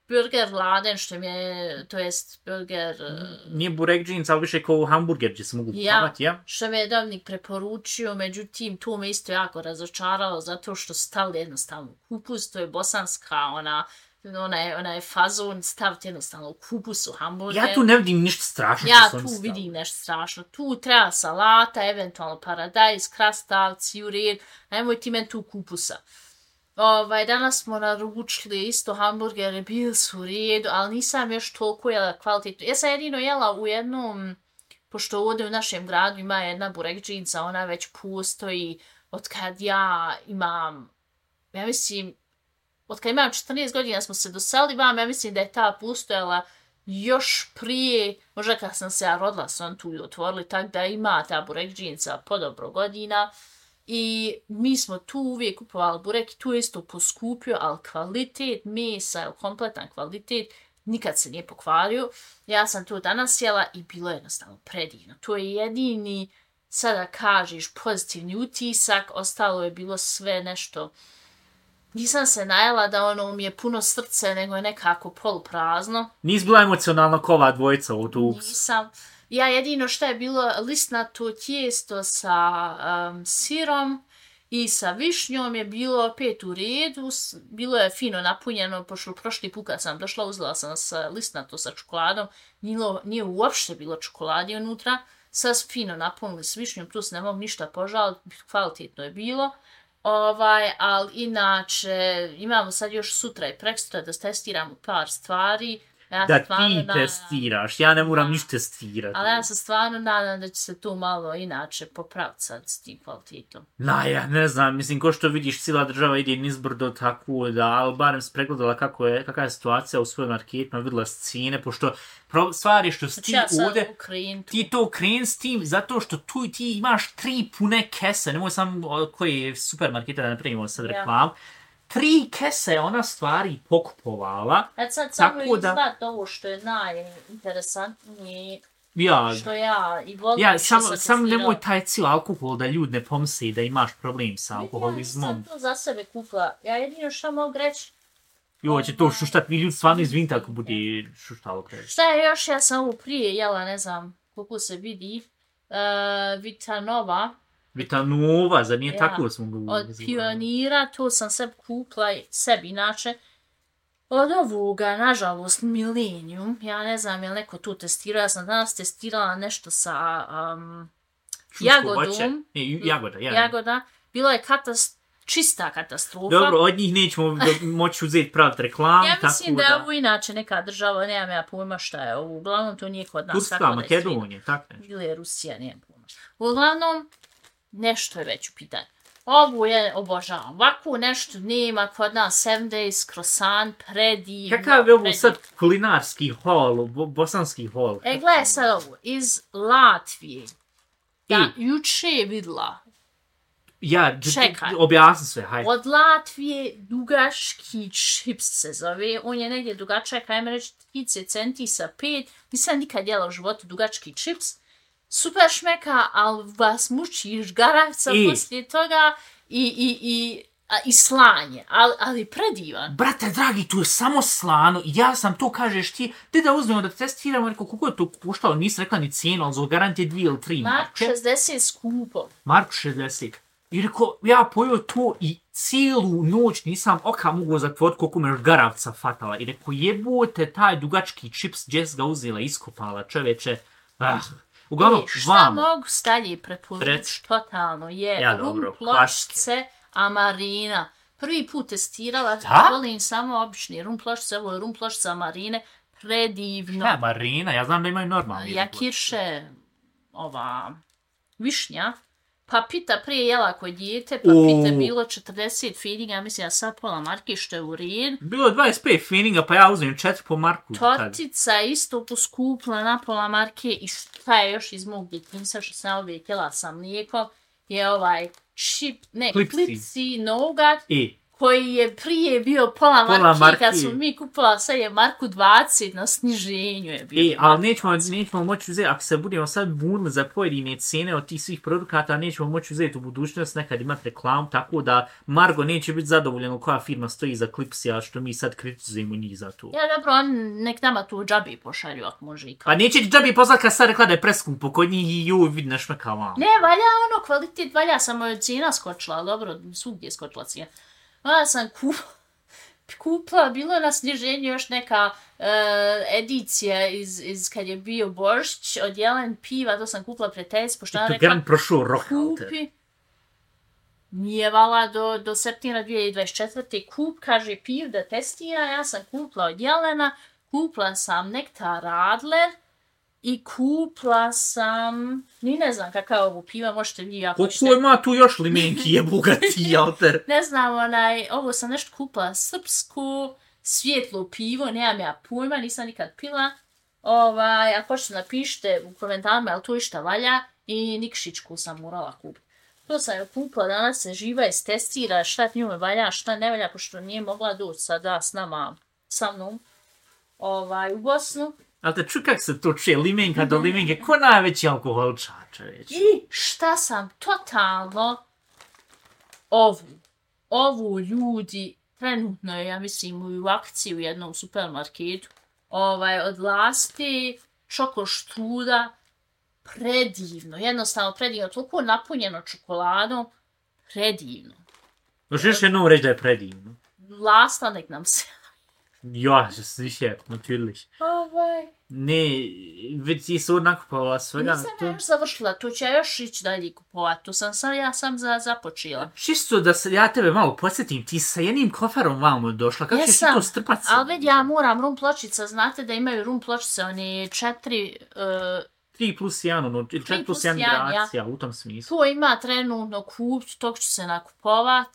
burger laden, što mi je, to jest burger... Uh, Nije burek džins, ali više kao hamburger gdje se mogu kupavati, ja? Što mi je Dominik preporučio, međutim, to me isto jako razočaralo, zato što stavili jednostavno kupus, to je bosanska, ona, ona, je, ona je fazon, staviti jednostavno kupus u hamburger. Ja tu ne vidim ništa strašno. Ja što tu sam vidim nešto strašno. Tu treba salata, eventualno paradajz, krastavci, u red, nemoj ti men tu kupusa. Ovaj, danas smo naručili isto hamburgere, bili su u redu, ali nisam još toliko jela kvalitetno. Ja sam jedino jela u jednom, pošto ovdje u našem gradu ima jedna burek džinca, ona već postoji od kad ja imam, ja mislim, od kad imam četrnaest godina smo se doselili vam, ja mislim da je ta postojala još prije, možda kad sam se ja rodila, sam tu i otvorili, tako da ima ta burek džinca po dobro godina. I mi smo tu uvijek kupovali burek, tu je isto poskupio, ali kvalitet mesa, kompletan kvalitet, nikad se nije pokvario. Ja sam tu danas jela i bilo je jednostavno predivno. To je jedini, sada kažeš, pozitivni utisak, ostalo je bilo sve nešto. Nisam se najela da ono mi je puno srce, nego je nekako poluprazno. Nis bila emocionalno kova dvojica u tu. Nisam. Ja jedino što je bilo listnato tijesto sa um, sirom i sa višnjom je bilo opet u redu, bilo je fino napunjeno, pošto prošli put kad sam došla uzela sam sa listnato sa čokoladom, nije, nije uopšte bilo čokoladi unutra, sad fino napunili s višnjom, plus ne mogu ništa požaliti, kvalitetno je bilo. Ovaj, ali inače imamo sad još sutra i prekstra da testiramo par stvari. Ja da ti nadam, testiraš, ja ne moram ništa testirati. Ali ja se stvarno nadam da će se tu malo inače popraviti sad s tim kvalitetom. Na, ja ne znam, mislim, ko što vidiš, cijela država ide nizbrdo tako da, ali barem se pregledala kako je, kakva je situacija u svojim marketima, vidjela scene, pošto stvar je što si ti ja ovdje, ti to kreni s tim, zato što tu ti imaš tri pune kese, nemoj samo koji je supermarketa da ne primimo sad reklam, ja. Tri kese ona stvari pokupovala. Et sad samo izgled ovo što je najinteresantnije, ja, što ja i volim ja, što sam Sam, sam nemoj taj cijel alkohol da ljud ne pomisli da imaš problem sa alkoholizmom. Ja sam to za sebe kupila. Ja jedino što mogu reći... Jo, će to šuštat, mi ljudi stvarno izvinite ako bude šuštalo kreći. Šta je još, ja sam ovo prije jela, ne znam koliko se vidi, uh, Vitanova. Vitanova, za nije ja, tako smo ga od Pionira, to sam sebi kupila, sebi inače. Od ovoga, nažalost, Millennium, ja ne znam je li neko tu testirao, ja sam danas testirala nešto sa um, jagodom. E, jagoda, ja. Jagoda. Bilo je katast, čista katastrofa. Dobro, od njih nećemo moći uzeti praviti reklam. Ja mislim tako da je ovo inače neka država, nemam ja pojma šta je ovo. Uglavnom to nije kod nas. Turska, Makedonija, tako nešto. Ili je Rusija, nemam pojma. Uglavnom, nešto je već u pitanju. Ovo je obožavam. Ovako nešto nema kod nas, seven days, croissant, predivno. Kakav je ovo sad kulinarski hol, bo, bosanski hol? E, gledaj sad ovo, iz Latvije. Ja I? juče je vidla. Ja, čekaj. Objasni sve, hajde. Od Latvije dugački čips se zove. On je negdje dugačak, ajme reći, trideset centi sa pet. Nisam nikad jela u životu dugački čips. Super šmeka, ali vas muči žgaravca I. poslije toga i, i, i A, i slanje, ali, ali predivan. Brate, dragi, tu je samo slano. Ja sam to, kažeš ti, ti da uzmemo da testiramo, rekao, koliko je to puštalo, nisi rekla ni cijenu, ali zbog garantije dvije ili tri Mark marke. šezdeset skupo. Mark šezdeset. I rekao, ja pojeo to i cijelu noć nisam oka mogu zatvoriti koliko me još garavca fatala. I rekao, jebote, taj dugački čips, Jess ga uzela, iskopala, čoveče. Ah. Uglavnom, I šta vam... mogu stalje preporučiti Rec. totalno je Ja, rum dobro, pločice Amarina. Prvi put testirala, Da? volim samo obični rum pločice, ovo je rum pločica Amarine, predivno. Ja, Marina, ja znam da imaju normalni. Jakirše, ova, višnja. Papita prije jela kod dijete, U. papita bilo četrdeset feelinga, mislim ja sad pola marke što je u rin. Bilo je dvadeset pet feelinga, pa ja uzmem četiri po marku. tad. Tortica isto poskupla na pola marke i šta je još iz mog djetinjstva što sam uvijek jela sa mlijekom je ovaj čip, ne, Klipsi. klipsi nougat I, koji je prije bio pola, Pola marke, marke. kad smo mi kupila, sad je marku dvadeset na sniženju je bio. i, ali nećemo, nećemo moći uzeti, ako se budemo sad bunili za pojedine cijene od tih svih produkata, nećemo moći uzeti u budućnost nekad imati reklamu, tako da Margo neće biti zadovoljeno koja firma stoji za Clipsija, što mi sad kritizujemo njih za to. Ja dobro, on nek nama tu džabi pošalju ako može i kao. Pa neće ti džabi poslati kad sad rekla da je preskupo kod njih i joj vidi nešmeka vam. Ne, valja ono, kvalitet valja, samo je cijena skočila, dobro, svugdje je skočila cijena. Onda sam kup, kupila, bilo je na sniženju još neka uh, edicija iz, iz kad je bio Božić od Jelen piva, to sam kupila prijateljici, pošto ona To rekla, gran prošao rok, alter. kupi, nije vala do, do septembra dvije tisuće dvadeset četvrte kup, kaže piv da testira, ja sam kupila od Jelena, kupila sam nektar Radler, i kupila sam, ni ne znam kakav ovo piva, možete vi ako Koliko ima tu još limenki jebuga ti, alter? ne znam, onaj, ovo sam nešto kupila srpsku, svjetlo pivo, nemam ja pojma, nisam nikad pila. Ovaj, ako hoćete napišite u komentarima, jel to išta valja, i Nikšićku sam morala kupiti. To sam joj kupila, danas se živa istestira šta njome valja, šta ne valja, pošto nije mogla doći sada s nama, sa mnom, ovaj, u Bosnu. Ali te ču kak se to čuje, limenka do limenke, ko najveći alkoholčač, već? I šta sam totalno ovu, ovu ljudi, trenutno je, ja mislim, u akciji u jednom supermarketu, ovaj, od Lasti, čoko štruda, predivno, jednostavno predivno, toliko napunjeno čokoladom, predivno. Možeš još jednom reći da je predivno. Lasta nek nam se... Ja, sicher, natürlich. Ovaj... Ne, već ti su nakupovala svega. Nisam ja još završila, to ću ja još ići dalje kupovati, to sam sam, ja sam za, započela. Čisto da se, ja tebe malo podsjetim, ti sa jednim koferom vamo došla, kako ćeš ti to strpati? Ali već ja moram rum pločica, znate da imaju rum pločice, oni četiri... Uh, tri plus jedan, ono, ili četiri plus jedan generacija, ja. U tom smislu. To ima trenutno kupć, tog ću se nakupovat,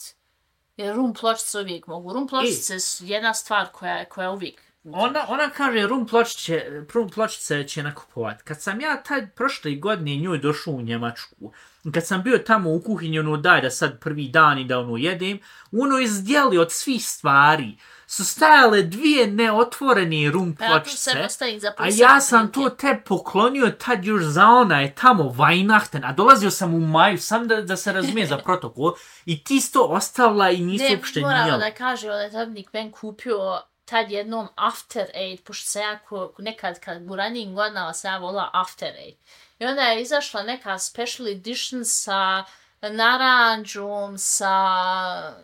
jer rum pločice uvijek mogu. Rum pločice su jedna stvar koja, koja uvijek... Ona, ona kaže rum pločice, rum pločice će nakupovat. Kad sam ja taj prošle godine njoj došao u Njemačku, kad sam bio tamo u kuhinji, ono daj da sad prvi dan i da ono jedem, ono izdjeli od svih stvari su stajale dvije neotvorene rum pločice, ja a ja sam to te poklonio tad još za onaj tamo Weihnachten, a dolazio sam u maju, sam da, da se razumije za protokol, i ti to ostavila i nisu uopšte nijeli. Ne, moramo da kaže, onaj tabnik ben kupio tad jednom After Eight, pošto se ja nekad kad u ranijim godinama se ja volila After Eight. I onda je izašla neka special edition sa naranđom, sa...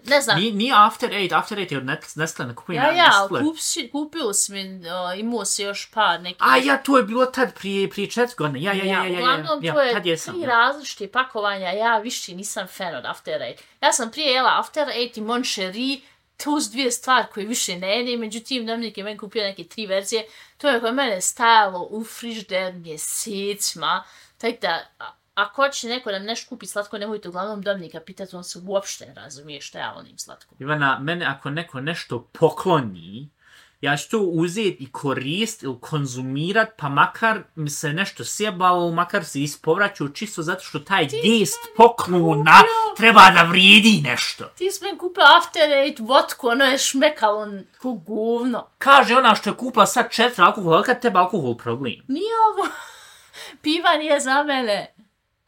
ne znam. Nije, nije After Eight, After Eight je od Nestle, ne kupujem ja, na ja, Nestle. Ja, kupio si mi, uh, imao si još par nekih... A ja, to je bilo tad prije, prije četiri godine, ja, ja, ja, ja, ja, uglavnom, ja, to je tad jesam, tri ja. različite pakovanja, ja više nisam fan od After Eight. Ja sam prije jela After Eight i Mon Cherie, to su dvije stvari koje više ne jede, međutim, Dominik je meni kupio neke tri verzije, to je kod mene stajalo u frižder mjesecima, tako da, ako će neko da mi nešto kupi slatko, nemojte uglavnom Dominika pitati, on se uopšte ne razumije šta ja volim slatko. Ivana, mene ako neko nešto pokloni, ja ću to uzeti i korist ili konzumirat, pa makar mi se nešto sjebalo, makar se ispovraćao, čisto zato što taj gest poklona treba da vrijedi nešto. Ti si meni kupio After Eight vodku, ono je šmekalo ko govno. Kaže ona što je kupila sad četiri alkohola, kad teba alkohol problem. Nije ovo, piva nije za mene.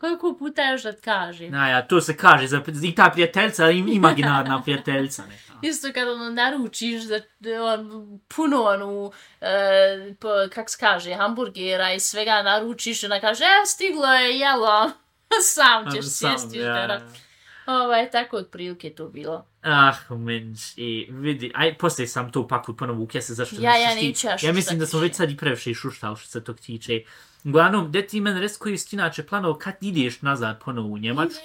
Koliko puta još da kažem? Na ja, to se kaže, za, i ta prijateljca, imaginarna prijateljca neka. Isto kad ono naručiš da, da on, puno onu, e, po, kak se kaže, hamburgera i svega naručiš, ona kaže, evo stiglo je, jelo, sam ćeš sjesti uterat. Ovaj, tako otprilike to bilo. Ah, menš, i vidi, aj, poslije sam to pakut ponovo ukese, zašto ja, ja, šušti. neću ja Ja mislim da smo već sad i previše šuštali što se tog tiče. Uglavnom, gdje ti mene res koji si inače planao kad ideš nazad ponovo u Njemačku,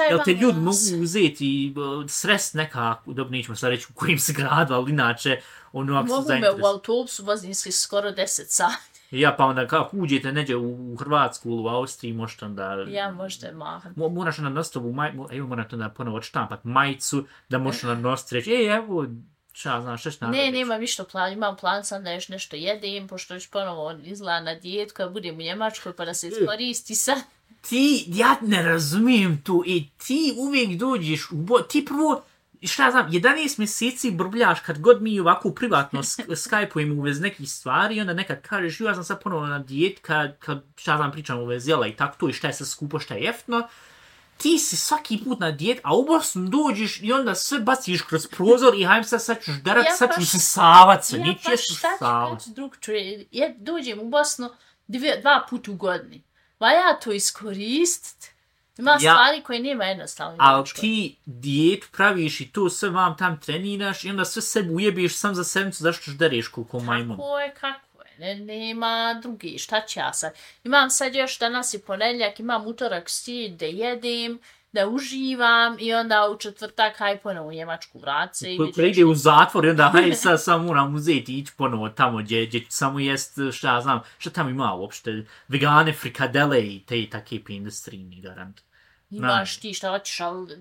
jel te ljudi mogu uzeti uh, srest nekako, dobro nećemo sad reći u kojim se gradu, ali inače, ono ako mogu se zainteres... me u autobusu vozim se skoro deset sati. Ja, pa onda kako uđete neđe u Hrvatsku ili u Austriji, možete onda... Ja možda maham. Mo, moraš onda nositi ovu majicu, evo morate onda ponovo odštampat majicu, da možeš onda nositi reći, ej, evo, šta znaš, šta ću Ne, nemam ništa plan, imam plan sam da još nešto jedem, pošto još ponovo izgleda na dijetu, kad budem u Njemačkoj, pa da se iskoristi sad. Ti, ja ne razumijem tu, i ti uvijek dođeš u bo... Ti prvo, šta znam, jedanaest mjeseci brbljaš kad god mi ovako privatno skype-ujemo u vez nekih stvari, onda nekad kažeš, ja sam sad ponovo na dijet, kad, kad šta znam, pričam u vez jela i tako to, i šta je sad skupo, šta je jeftino. Ti si svaki put na dijet, a u Bosnu dođeš i onda sve baciš kroz prozor i hajm sad, sad ćeš darat, ja sad pa ćeš se savat se, ja niče pa se šta ću savat. kaći drug čuje, ja dođem u Bosnu dvije, dva puta u godini. Va ja to iskoristit. Ima ja, stvari koje nema jednostavno. Ali ti dijetu praviš i to sve vam tam treniraš i onda sve sebi ujebiš sam za sedmicu, zašto ćeš dereš koliko majmun. Kako je, kako je, ne, nema drugi, šta će ja sad. Imam sad još danas i ponedjeljak, imam utorak stil da jedem, da uživam i onda u četvrtak haj ponovo u Njemačku vrat se. Ko ide u zatvor i onda haj sad sam moram uzeti i ići ponovo tamo gdje, gdje samo jest, šta ja znam, šta tam ima uopšte, vegane, frikadele i te i takve industrijni garant. Imaš ti šta hoćeš, ali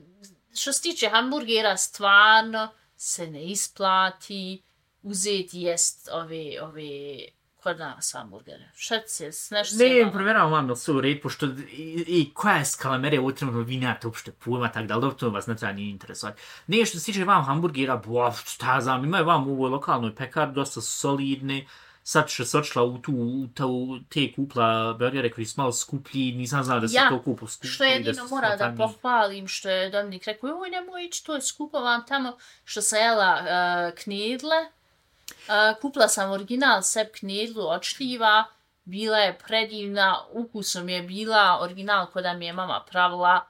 što se tiče hamburgera, stvarno se ne isplati uzeti jest ove, ove kod nas hamburgere. Šta se, nešto se... Ne, provjeravam vam da su u red, pošto i, i koja je skala mere u trenutno vi nemate uopšte pojma, tako da, ali to vas ne treba nije interesovati. Ne, što se tiče vam hamburgera, bo, šta znam, imaju vam u ovoj lokalnoj pekar, dosta su solidni. Sad što se odšla u tu, u tu te kupla burgere koji su malo skuplji, nisam znala da se ja, to kupo skuplji. Što jedino mora da pohvalim, što je Dominik rekao, joj nemoj ići, to je skupo vam tamo, što sam jela uh, knedle, uh, kupila sam original sep knedlu od šljiva, bila je predivna, ukusom je bila original koda mi je mama pravila,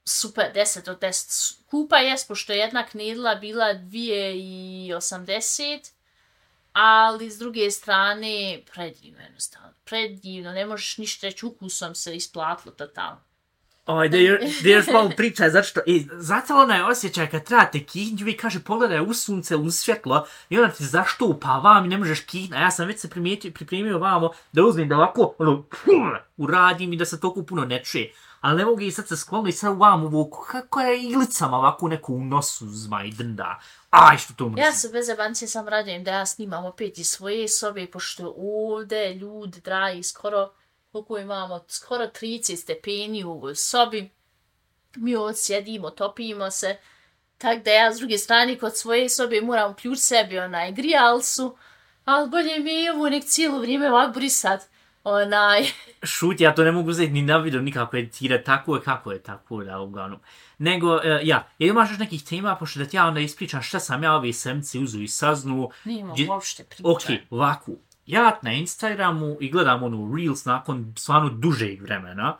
super, deset od deset. Kupa jest, pošto je jedna knedla bila dvije i osamdeset, ali s druge strane, predivno jednostavno, predivno, ne možeš ništa reći, ukusom se isplatilo totalno. Oj, da još malo pričaj, zato što, e, zato ona je osjećaj kad trebate kihnju i kaže pogledaj u sunce, u svjetlo i onda ti zaštupa vam i ne možeš kihna. Ja sam već se pripremio vamo da uzmem da ovako, ono, uradim i da se toliko puno ne čuje. Ali ne mogu i sad se skloniti sad vam ovo, kako je ilicama ovako neku u nosu zma i drnda. Aj, što to mrzim. Ja se bez jebancije sam radim da ja snimam opet iz svoje sobe, pošto ovdje ljudi dragi skoro, koliko imamo, skoro trideset stepeni u ovoj sobi. Mi ovdje sjedimo, topimo se. Tako da ja s druge strane kod svoje sobe moram uključiti sebi onaj grijalcu, ali bolje mi je ovo nek cijelo vrijeme ovak brisat. Onaj... Šut, ja to ne mogu uzeti ni na video nikako editirati, tako je kako je, tako da uglavnom. Nego, uh, ja, jer imaš još nekih tema, pošto da ti ja onda ispričam šta sam ja ove semci uzu i saznu. Nijemo Gdje... uopšte priča. Ok, ovako, ja na Instagramu i gledam onu Reels nakon stvarno dužeg vremena,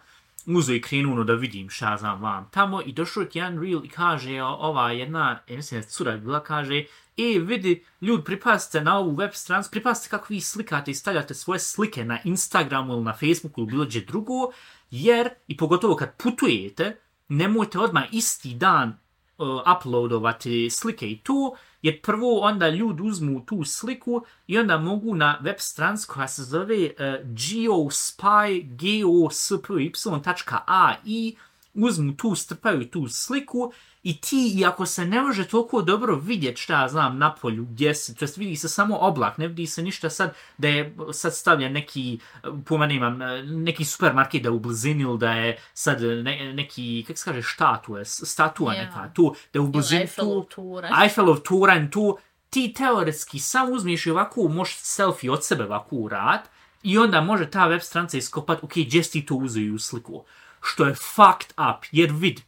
uzo i krenuo da vidim šta znam vam tamo i došao ti jedan Reel i kaže, ova jedna, ja mislim da cura bila, kaže, e, vidi, ljudi, pripazite na ovu web stranicu, pripazite kako vi slikate i stavljate svoje slike na Instagramu ili na Facebooku ili bilo gdje drugo, jer, i pogotovo kad putujete, nemojte odmah isti dan uh, uploadovati slike i to, jer prvo onda ljudi uzmu tu sliku i onda mogu na web stranicu koja se zove uh, geospy, geospy dot a i uzmu tu, strpaju tu sliku i ti, iako se ne može toliko dobro vidjeti šta ja znam na polju gdje se, to jest vidi se samo oblak, ne vidi se ništa sad da je sad stavlja neki, pojma nemam, neki supermarket da je u blizini ili da je sad ne, neki, kako se kaže, štatue, statua yeah. neka tu, da je u blizini Eiffelov tu, Eiffelov turanj tu, ti teoretski sam uzmiš i ovako možeš selfie od sebe ovako urat i onda može ta web stranica iskopat, ok, gdje si ti to uzeo u sliku. što je fucked up, jer vid,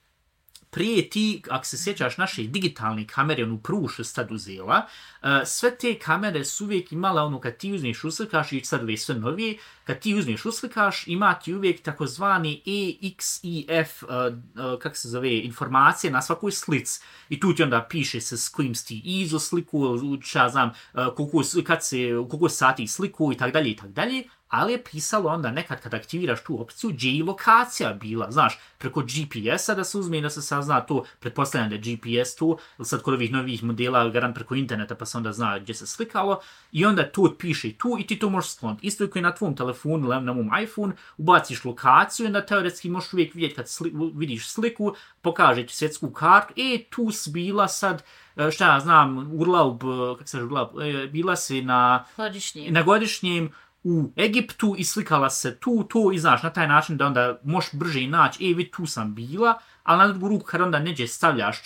prije ti, ako se sjećaš naše digitalne kamere, onu prvu što sad uzela, uh, sve te kamere su uvijek imala ono kad ti uzmeš uslikaš i sad ove sve novije, kad ti uzmeš uslikaš ima ti uvijek takozvani E X I F, uh, uh, kako se zove, informacije na svakoj slici. I tu ti onda piše se s kojim si ti izo sliku, šta znam, uh, koliko, kad se, koliko sati sliku i tak dalje i tak dalje. Ali je pisalo onda nekad kad aktiviraš tu opciju gdje je i lokacija bila, znaš, preko G P S-a da se uzme i da se sazna to, pretpostavljam da je G P S tu, ili sad kod ovih novih modela garant preko interneta pa se onda zna gdje se slikalo i onda to piše tu i ti to možeš skloniti. Isto je koji na tvom telefonu ili na mom iPhone, ubaciš lokaciju i onda teoretski možeš uvijek vidjeti kad sli, vidiš sliku, pokaže ti svjetsku kartu, e, tu si bila sad, šta ja znam, urlaub, kako se urlaub, bila si na godišnjem. na godišnjem u Egiptu i slikala se tu, to i znaš, na taj način da onda možeš brže i naći, e, vidi, tu sam bila, ali na drugu ruku kad onda neđe stavljaš,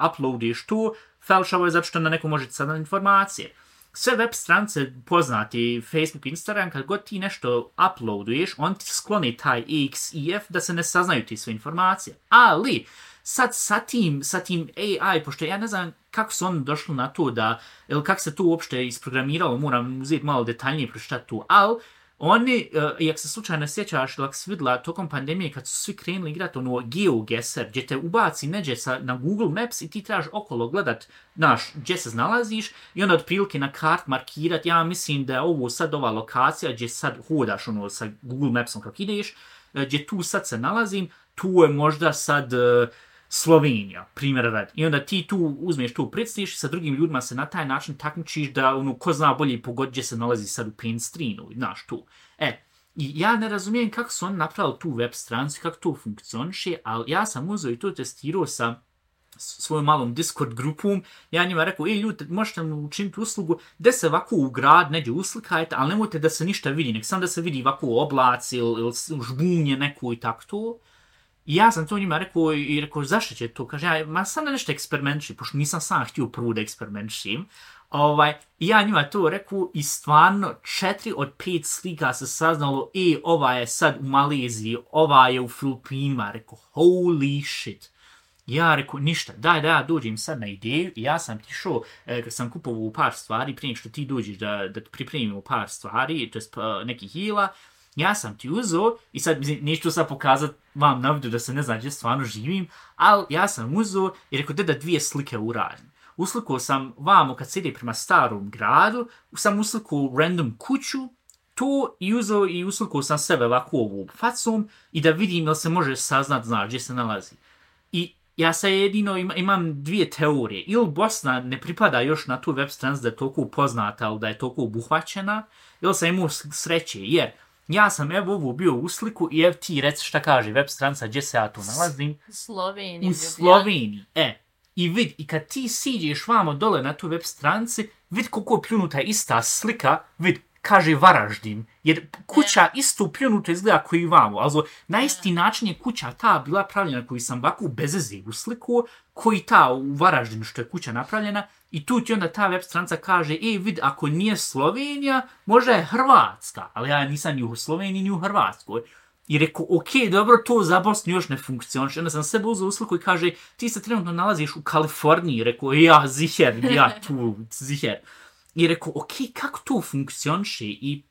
uploadiš to, falšavo je zato što na neko može sadati informacije. Sve web stranice poznati, Facebook, Instagram, kad god ti nešto uploaduješ, on ti skloni taj E X I F da se ne saznaju ti sve informacije. Ali, sad sa tim, sa tim A I, pošto ja ne znam kako su oni došli na to da, ili kako se to uopšte isprogramiralo, moram uzeti malo detaljnije pročitati tu, ali oni, uh, i ako se slučajno sjećaš, ili ako si vidjela tokom pandemije kad su svi krenuli igrati ono GeoGuessr, gdje te ubaci neđe sa, na Google Maps i ti trebaš okolo gledat, znaš, gdje se nalaziš i onda otprilike na kart markirati, ja mislim da je ovo sad ova lokacija gdje sad hodaš ono sa Google Mapsom kako ideš, gdje tu sad se nalazim, tu je možda sad uh, Slovenija, primjer radi. I onda ti tu uzmeš tu predstaviš i sa drugim ljudima se na taj način takmičiš da ono, ko zna bolje pogod gdje se nalazi sad u paint screenu, znaš tu. E, i ja ne razumijem kako su oni napravili tu web stranicu, kako to funkcioniše, ali ja sam uzeo i to testirao sa svojom malom Discord grupom, ja njima rekao, ej ljudi, možete mi učiniti uslugu, da se ovako u grad neđe uslikajte, ali nemojte da se ništa vidi, nek sam da se vidi ovako oblaci ili, ili žbunje neko i tako to. I ja sam to njima rekao i rekao, zašto će to? Kaže, ja, ma sam da nešto eksperimentišim, pošto nisam sam htio prvo da eksperimentišim. Ovaj, I ja njima to rekao i stvarno četiri od pet slika se saznalo, e, ova je sad u Maleziji, ova je u Filipinima. Rekao, holy shit. Ja rekao, ništa, daj da ja dođem sad na ideju i ja sam ti šao, e, kad sam kupovao par stvari, prije što ti dođeš da, da pripremimo par stvari, to je uh, nekih hila, ja sam ti uzeo, i sad neću sad pokazati vam na vidu da se ne zna gdje stvarno živim, ali ja sam uzeo i rekao da da dvije slike uradim. Uslikao sam vamo kad se ide prema starom gradu, sam uslikao random kuću, to i uzeo i uslikao sam sebe ovako ovu facom i da vidim jel se može saznat, znaš, gdje se nalazi. I ja sad jedino ima, imam dvije teorije. Ili Bosna ne pripada još na tu web stranicu da je toliko poznata, ali da je toliko obuhvaćena, ili sam imao sreće, jer ja sam evo ovo bio u sliku i evo ti reci šta kaže web stranica gdje se ja tu nalazim. Sloveniji. U Sloveniji, e. I vid, i kad ti siđeš vamo dole na tu web stranici, vid koliko je pljunuta ista slika, vid, kaže Varaždin. Jer kuća isto pljunuta izgleda koji vamo. Also, na isti način je kuća ta bila pravljena koju sam ovako bezeze u sliku, koji ta u Varaždinu što je kuća napravljena. I tu ti onda ta web stranica kaže, e, vid, ako nije Slovenija, možda je Hrvatska. Ali ja nisam ni u Sloveniji, ni u Hrvatskoj. I rekao, ok, dobro, to za Bosnu još ne funkcioniše. Onda sam sebe uzeo u sliku i kaže, ti se trenutno nalaziš u Kaliforniji. Rekao, ja, ziher, ja tu, ziher. I rekao, ok, kako to funkcioniše? I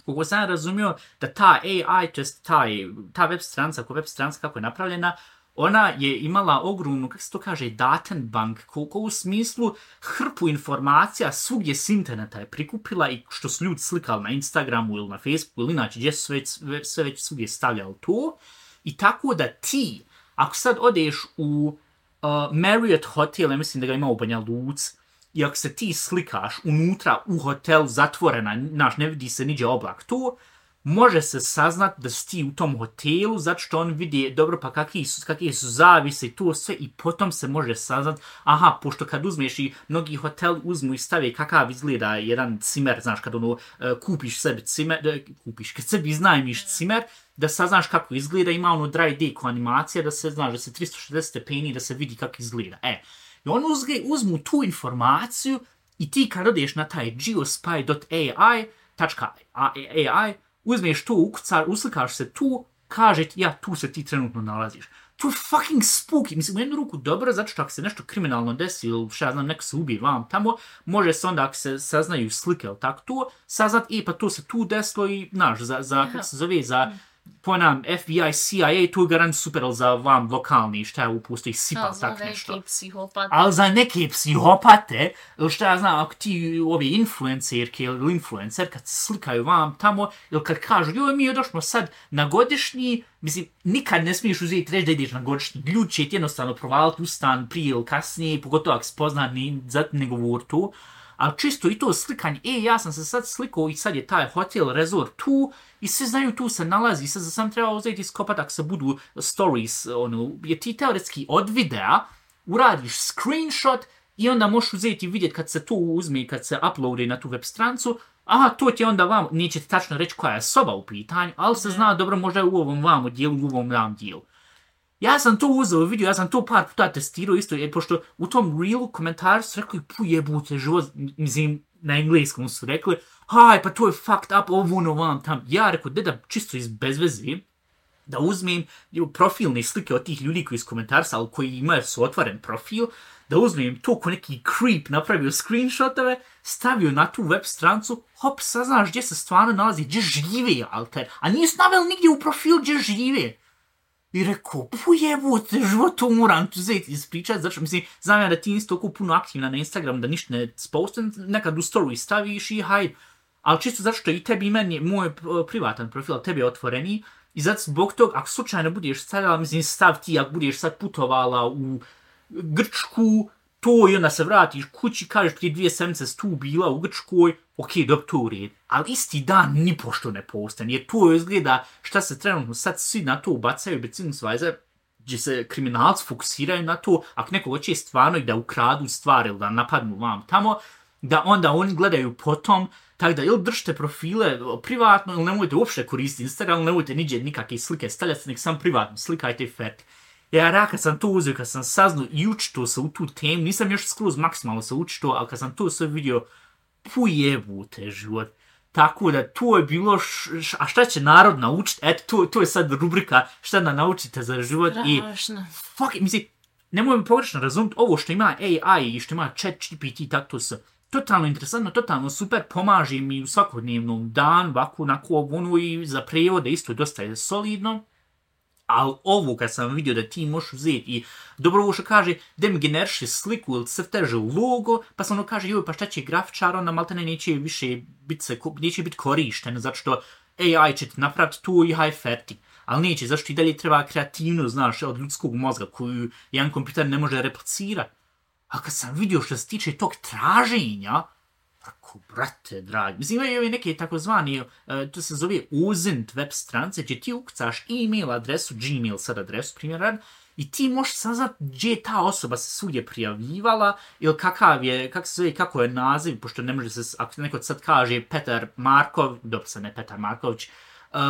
koliko sam razumio da ta A I, just taj, ta web stranica, ko web stranica kako je napravljena, ona je imala ogromnu, kako se to kaže, datenbank, koliko u smislu hrpu informacija svugdje s interneta je prikupila i što su ljudi slikali na Instagramu ili na Facebooku ili inače gdje su već, sve već svugdje stavljali to. I tako da ti, ako sad odeš u uh, Marriott Hotel, ja mislim da ga ima u Banja Luci, i ako se ti slikaš unutra u hotelu zatvorena, naš, ne vidi se niđe oblak tu, može se saznat da si ti u tom hotelu, zato što on vidi, dobro, pa kakvi su, kakvi su zavise i to sve, i potom se može saznat, aha, pošto kad uzmeš i mnogi hoteli uzmu i stave kakav izgleda jedan cimer, znaš, kad ono, kupiš sebi cimer, kupiš, kad sebi iznajmiš cimer, da saznaš kako izgleda, ima ono dry day ko animacija, da se, znaš, da se tristo šezdeset stepeni, da se vidi kako izgleda, e. I on uzge, uzmu tu informaciju i ti kad odeš na taj geospy dot a i, uzmeš to, ukucar, uslikaš se tu kaže ti, ja, tu se ti trenutno nalaziš. To je fucking spooky. Mislim, u jednu ruku dobro, zato što ako se nešto kriminalno desi ili šta ja znam, neko se ubije vam tamo, može se onda ako se saznaju slike ili tako to, saznat, e, pa to se tu desilo i, znaš, za, za kako se zove, za, ponam, F B I, C I A, to je garant super, ali za vam lokalni, šta je upusto i sipa, tako nešto. Za neke psihopate. Ali za neke psihopate, ili šta ja znam, ako ti ove influencerke ili influencer, kad se slikaju vam tamo, ili kad kažu, joj, mi došmo sad na godišnji, mislim, nikad ne smiješ uzeti reći da ideš na godišnji. Ljudi će ti jednostavno provaliti u stan prije ili kasnije, pogotovo ako spozna, zato ne govor to. Ali čisto i to slikanje, e, ja sam se sad slikao i sad je taj hotel, resort tu i svi znaju tu se nalazi, sad sam trebao uzeti iskopat ako se budu stories, ono, jer ti teoretski od videa uradiš screenshot i onda možeš uzeti i vidjeti kad se to uzme i kad se uploade na tu web strancu, aha, to ti onda vam, neće ti tačno reći koja je soba u pitanju, ali se zna dobro možda je u ovom vamo dijelu, u ovom vam dijelu. Ja sam to uzeo vidio, ja sam to par puta testirao isto, jer pošto u tom reelu komentarju su rekli, pu jebute život, mislim, na engleskom su rekli, haj, pa to je fucked up, ovo ono vam tam. Ja rekao, da čisto iz bezvezi, da uzmem profilne slike od tih ljudi koji iz komentarsa, ali koji imaju su otvoren profil, da uzmem to ko neki creep napravio screenshotove, stavio na tu web strancu, hop, saznaš gdje se stvarno nalazi, gdje žive, alter, a nisu naveli nigdje u profil gdje žive. I rekao, pujebote, život to moram tu zeti ispričati, zato mislim, znam ja da ti nisi toliko puno aktivna na Instagram, da ništa ne postam, nekad u story staviš i hajde, ali čisto zato što i tebi i meni, moj privatan profil, tebi je otvoreni, i zato zbog tog, ako slučajno budeš stavila, mislim, stav ti, ako budeš sad putovala u Grčku, to i onda se vratiš kući, kažeš prije dvije sedmice tu bila u Grčkoj, ok, dobro, to u red. Ali isti dan ni pošto ne postan, jer to izgleda šta se trenutno sad svi na to ubacaju, beziehungsweise, gdje se kriminalci fokusiraju na to, ako neko hoće stvarno i da ukradu stvari ili da napadnu vam tamo, da onda oni gledaju potom, tako da ili držite profile privatno, ili nemojte uopšte koristiti Instagram, ili nemojte niđe nikakve slike stavljati, nek sam privatno slikajte i fet. Ja, kad sam to uzeo, kad sam saznao i učito se u tu temu, nisam još skroz maksimalno se učito, ali kad sam to sve vidio, pujebute život. Tako da to je bilo, š, š, a šta će narod naučiti? Eto, to, to je sad rubrika šta da naučite za život. Strašno. I, fuck, mislim, nemoj mi pogrešno razumjeti, ovo što ima A I i što ima chat G P T, tako to se totalno interesantno, totalno super, pomaže mi u svakodnevnom dan, ovako, onako, ono i za prevode isto dosta je solidno. Ali ovo kad sam vidio da ti možeš uzeti i dobro ovo što kaže da mi generiše sliku ili crteže logo, pa sam ono kaže joj pa šta će grafičar, onda maltene neće više biti se, neće biti korišten, zato što A I će ti napraviti tu i high ferti. Ali neće, zašto i dalje treba kreativno, znaš, od ljudskog mozga koju jedan kompjuter ne može replicirati. A kad sam vidio što se tiče tog traženja, tako, brate, dragi. Mislim, imaju neke takozvani, uh, to se zove Ozint web strance, gdje ti ukucaš e-mail adresu, Gmail sad adresu, primjer, i ti možeš saznat gdje je ta osoba se svugdje prijavljivala, ili kakav je, kak se zove, kako je naziv, pošto ne može se, ako neko sad kaže Petar Markov, dobro se ne Petar Marković, uh,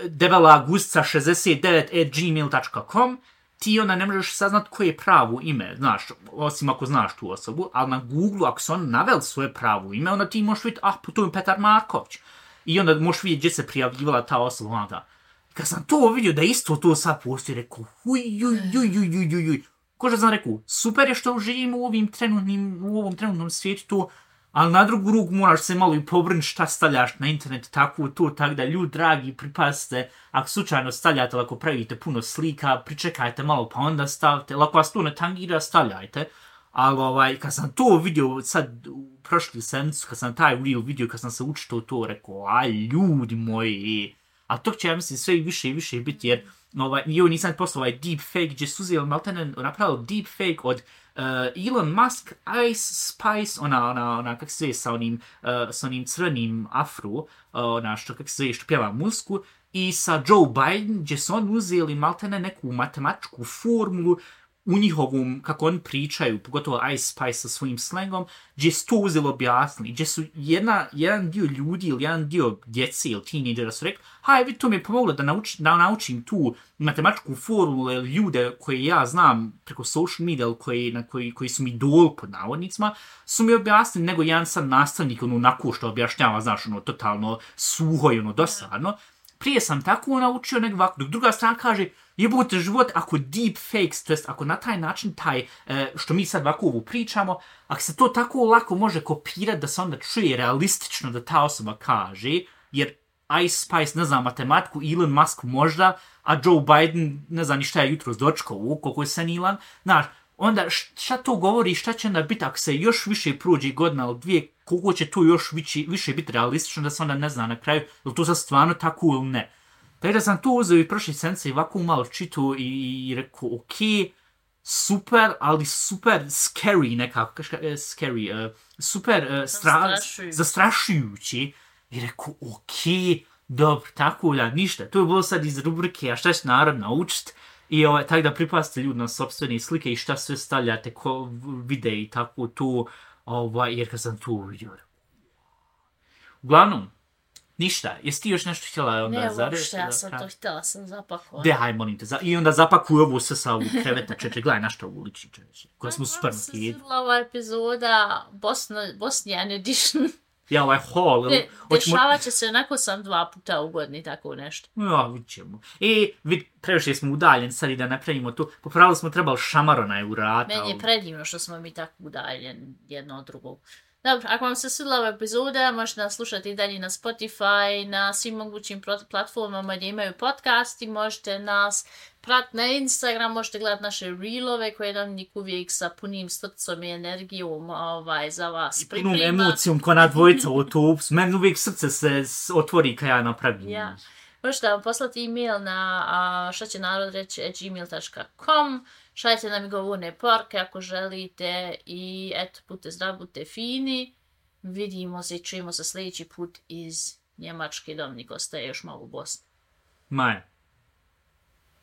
debela gusca šezdeset devet at gmail dot com, ti onda ne možeš saznat koje je pravo ime, znaš, osim ako znaš tu osobu, ali na Google, ako se on naveli svoje pravo ime, onda ti možeš vidjeti, ah, to je Petar Marković. I onda možeš vidjeti gdje se prijavljivala ta osoba, onda. Kad sam to vidio da isto to sad postoji, rekao, huj, juj, juj, juj, juj, juj, juj. Ko što sam rekao, super je što živimo u, ovim trenutnim, u ovom trenutnom svijetu to, ali na drugu ruku moraš se malo i pobrinuti šta stavljaš na internet, tako to, tako da ljudi dragi, pripazite, ako slučajno stavljate, ako pravite puno slika, pričekajte malo pa onda stavite, ako vas to ne tangira, stavljajte, ali ovaj, kad sam to vidio sad u prošli sedmicu, kad sam taj reel vidio, kad sam se učito to, rekao, aj ljudi moji, a to će ja mislim sve i više i više biti, jer ovaj, jo, nisam poslao ovaj deepfake, gdje su uzeli maltene napravili deepfake od Uh, Elon Musk, Ice Spice, ona, ona, ona, kak se zove, sa onim, uh, sa onim crvenim afro, uh, ona, što, kak se zove, što pjeva muziku, i sa Joe Biden, gdje su oni uzeli maltene neku matematičku formulu u njihovom, kako oni pričaju, pogotovo Ice Spice sa svojim slangom, gdje su to uzeli objasnili, gdje su jedna, jedan dio ljudi ili jedan dio djece ili teenagera su rekli, haj, vi to mi je pomoglo da, nauč, da naučim tu matematičku formulu ili ljude koje ja znam preko social media ili koji, na koji, koji su mi idol pod navodnicima, su mi objasnili nego jedan sad nastavnik, ono, onako što objašnjava, znaš, ono, totalno suho i ono, dosadno. prije sam tako naučio nego ovako. Dok druga strana kaže, jebote život, ako deepfakes, to jest ako na taj način taj, e, što mi sad ovako ovu pričamo, ako se to tako lako može kopirati da se onda čuje realistično da ta osoba kaže, jer Ice Spice ne zna matematiku, Elon Musk možda, a Joe Biden ne zna ni šta je jutro zdočkao, koliko je senilan, znaš, onda šta to govori, šta će onda biti ako se još više prođe godina ili dvije, koliko će to još više, više biti realistično da se onda ne zna na kraju, je li to sad stvarno tako ili ne. Tako da sam to uzeo i prošli sence i ovako malo čitao i, i rekao, ok, super, ali super scary nekako, scary, uh, super uh, stra, zastrašujući. I rekao, ok, dobro, tako da, ništa. To je bilo sad iz rubrike, a šta će narod naučit? I ovaj, tako da pripazite ljudi na sopstvene slike i šta sve stavljate, ko vide i tako to, ovaj, jer kad sam to vidio. Uglavnom, ništa, jesi ti još nešto htjela onda ne, zareći? Ne, uopšte, ja sam to htjela, sam zapakla. De, haj, molim te, za... i onda zapakuj ovu sve sa ovu kreveta čeče, gledaj na što ovu liči čeče, koja smo super nakid. Meni se svidla ova epizoda Bosna, Bosnian Edition. Ja, ovaj hall. De, dešavat će se, onako sam dva puta u godini, tako nešto. Ja, vidit ćemo. I vid, previše smo udaljeni, sad i da napravimo tu. Popravili smo trebali šamarona je u rata. Meni je predivno što smo mi tako udaljeni jedno od drugog. Dobro, ako vam se svidla ova epizoda, možete nas slušati i dalje na Spotify, na svim mogućim platformama gdje imaju podcasti, možete nas pratiti na Instagram, možete gledati naše reelove koje Dominik uvijek sa punim srcom i energijom ovaj, za vas priprema. I punom emocijom ko na dvojica u to, meni uvijek srce se otvori kad ja napravim. Ja. Možete vam poslati e-mail na a, šta će narod reći at gmail dot com. Šaljite nam i govorne porke ako želite i eto, budite zdrav, budite fini. Vidimo se i čujemo se sljedeći put iz Njemačke. Dominik ostaje još malo u Bosni. Maja.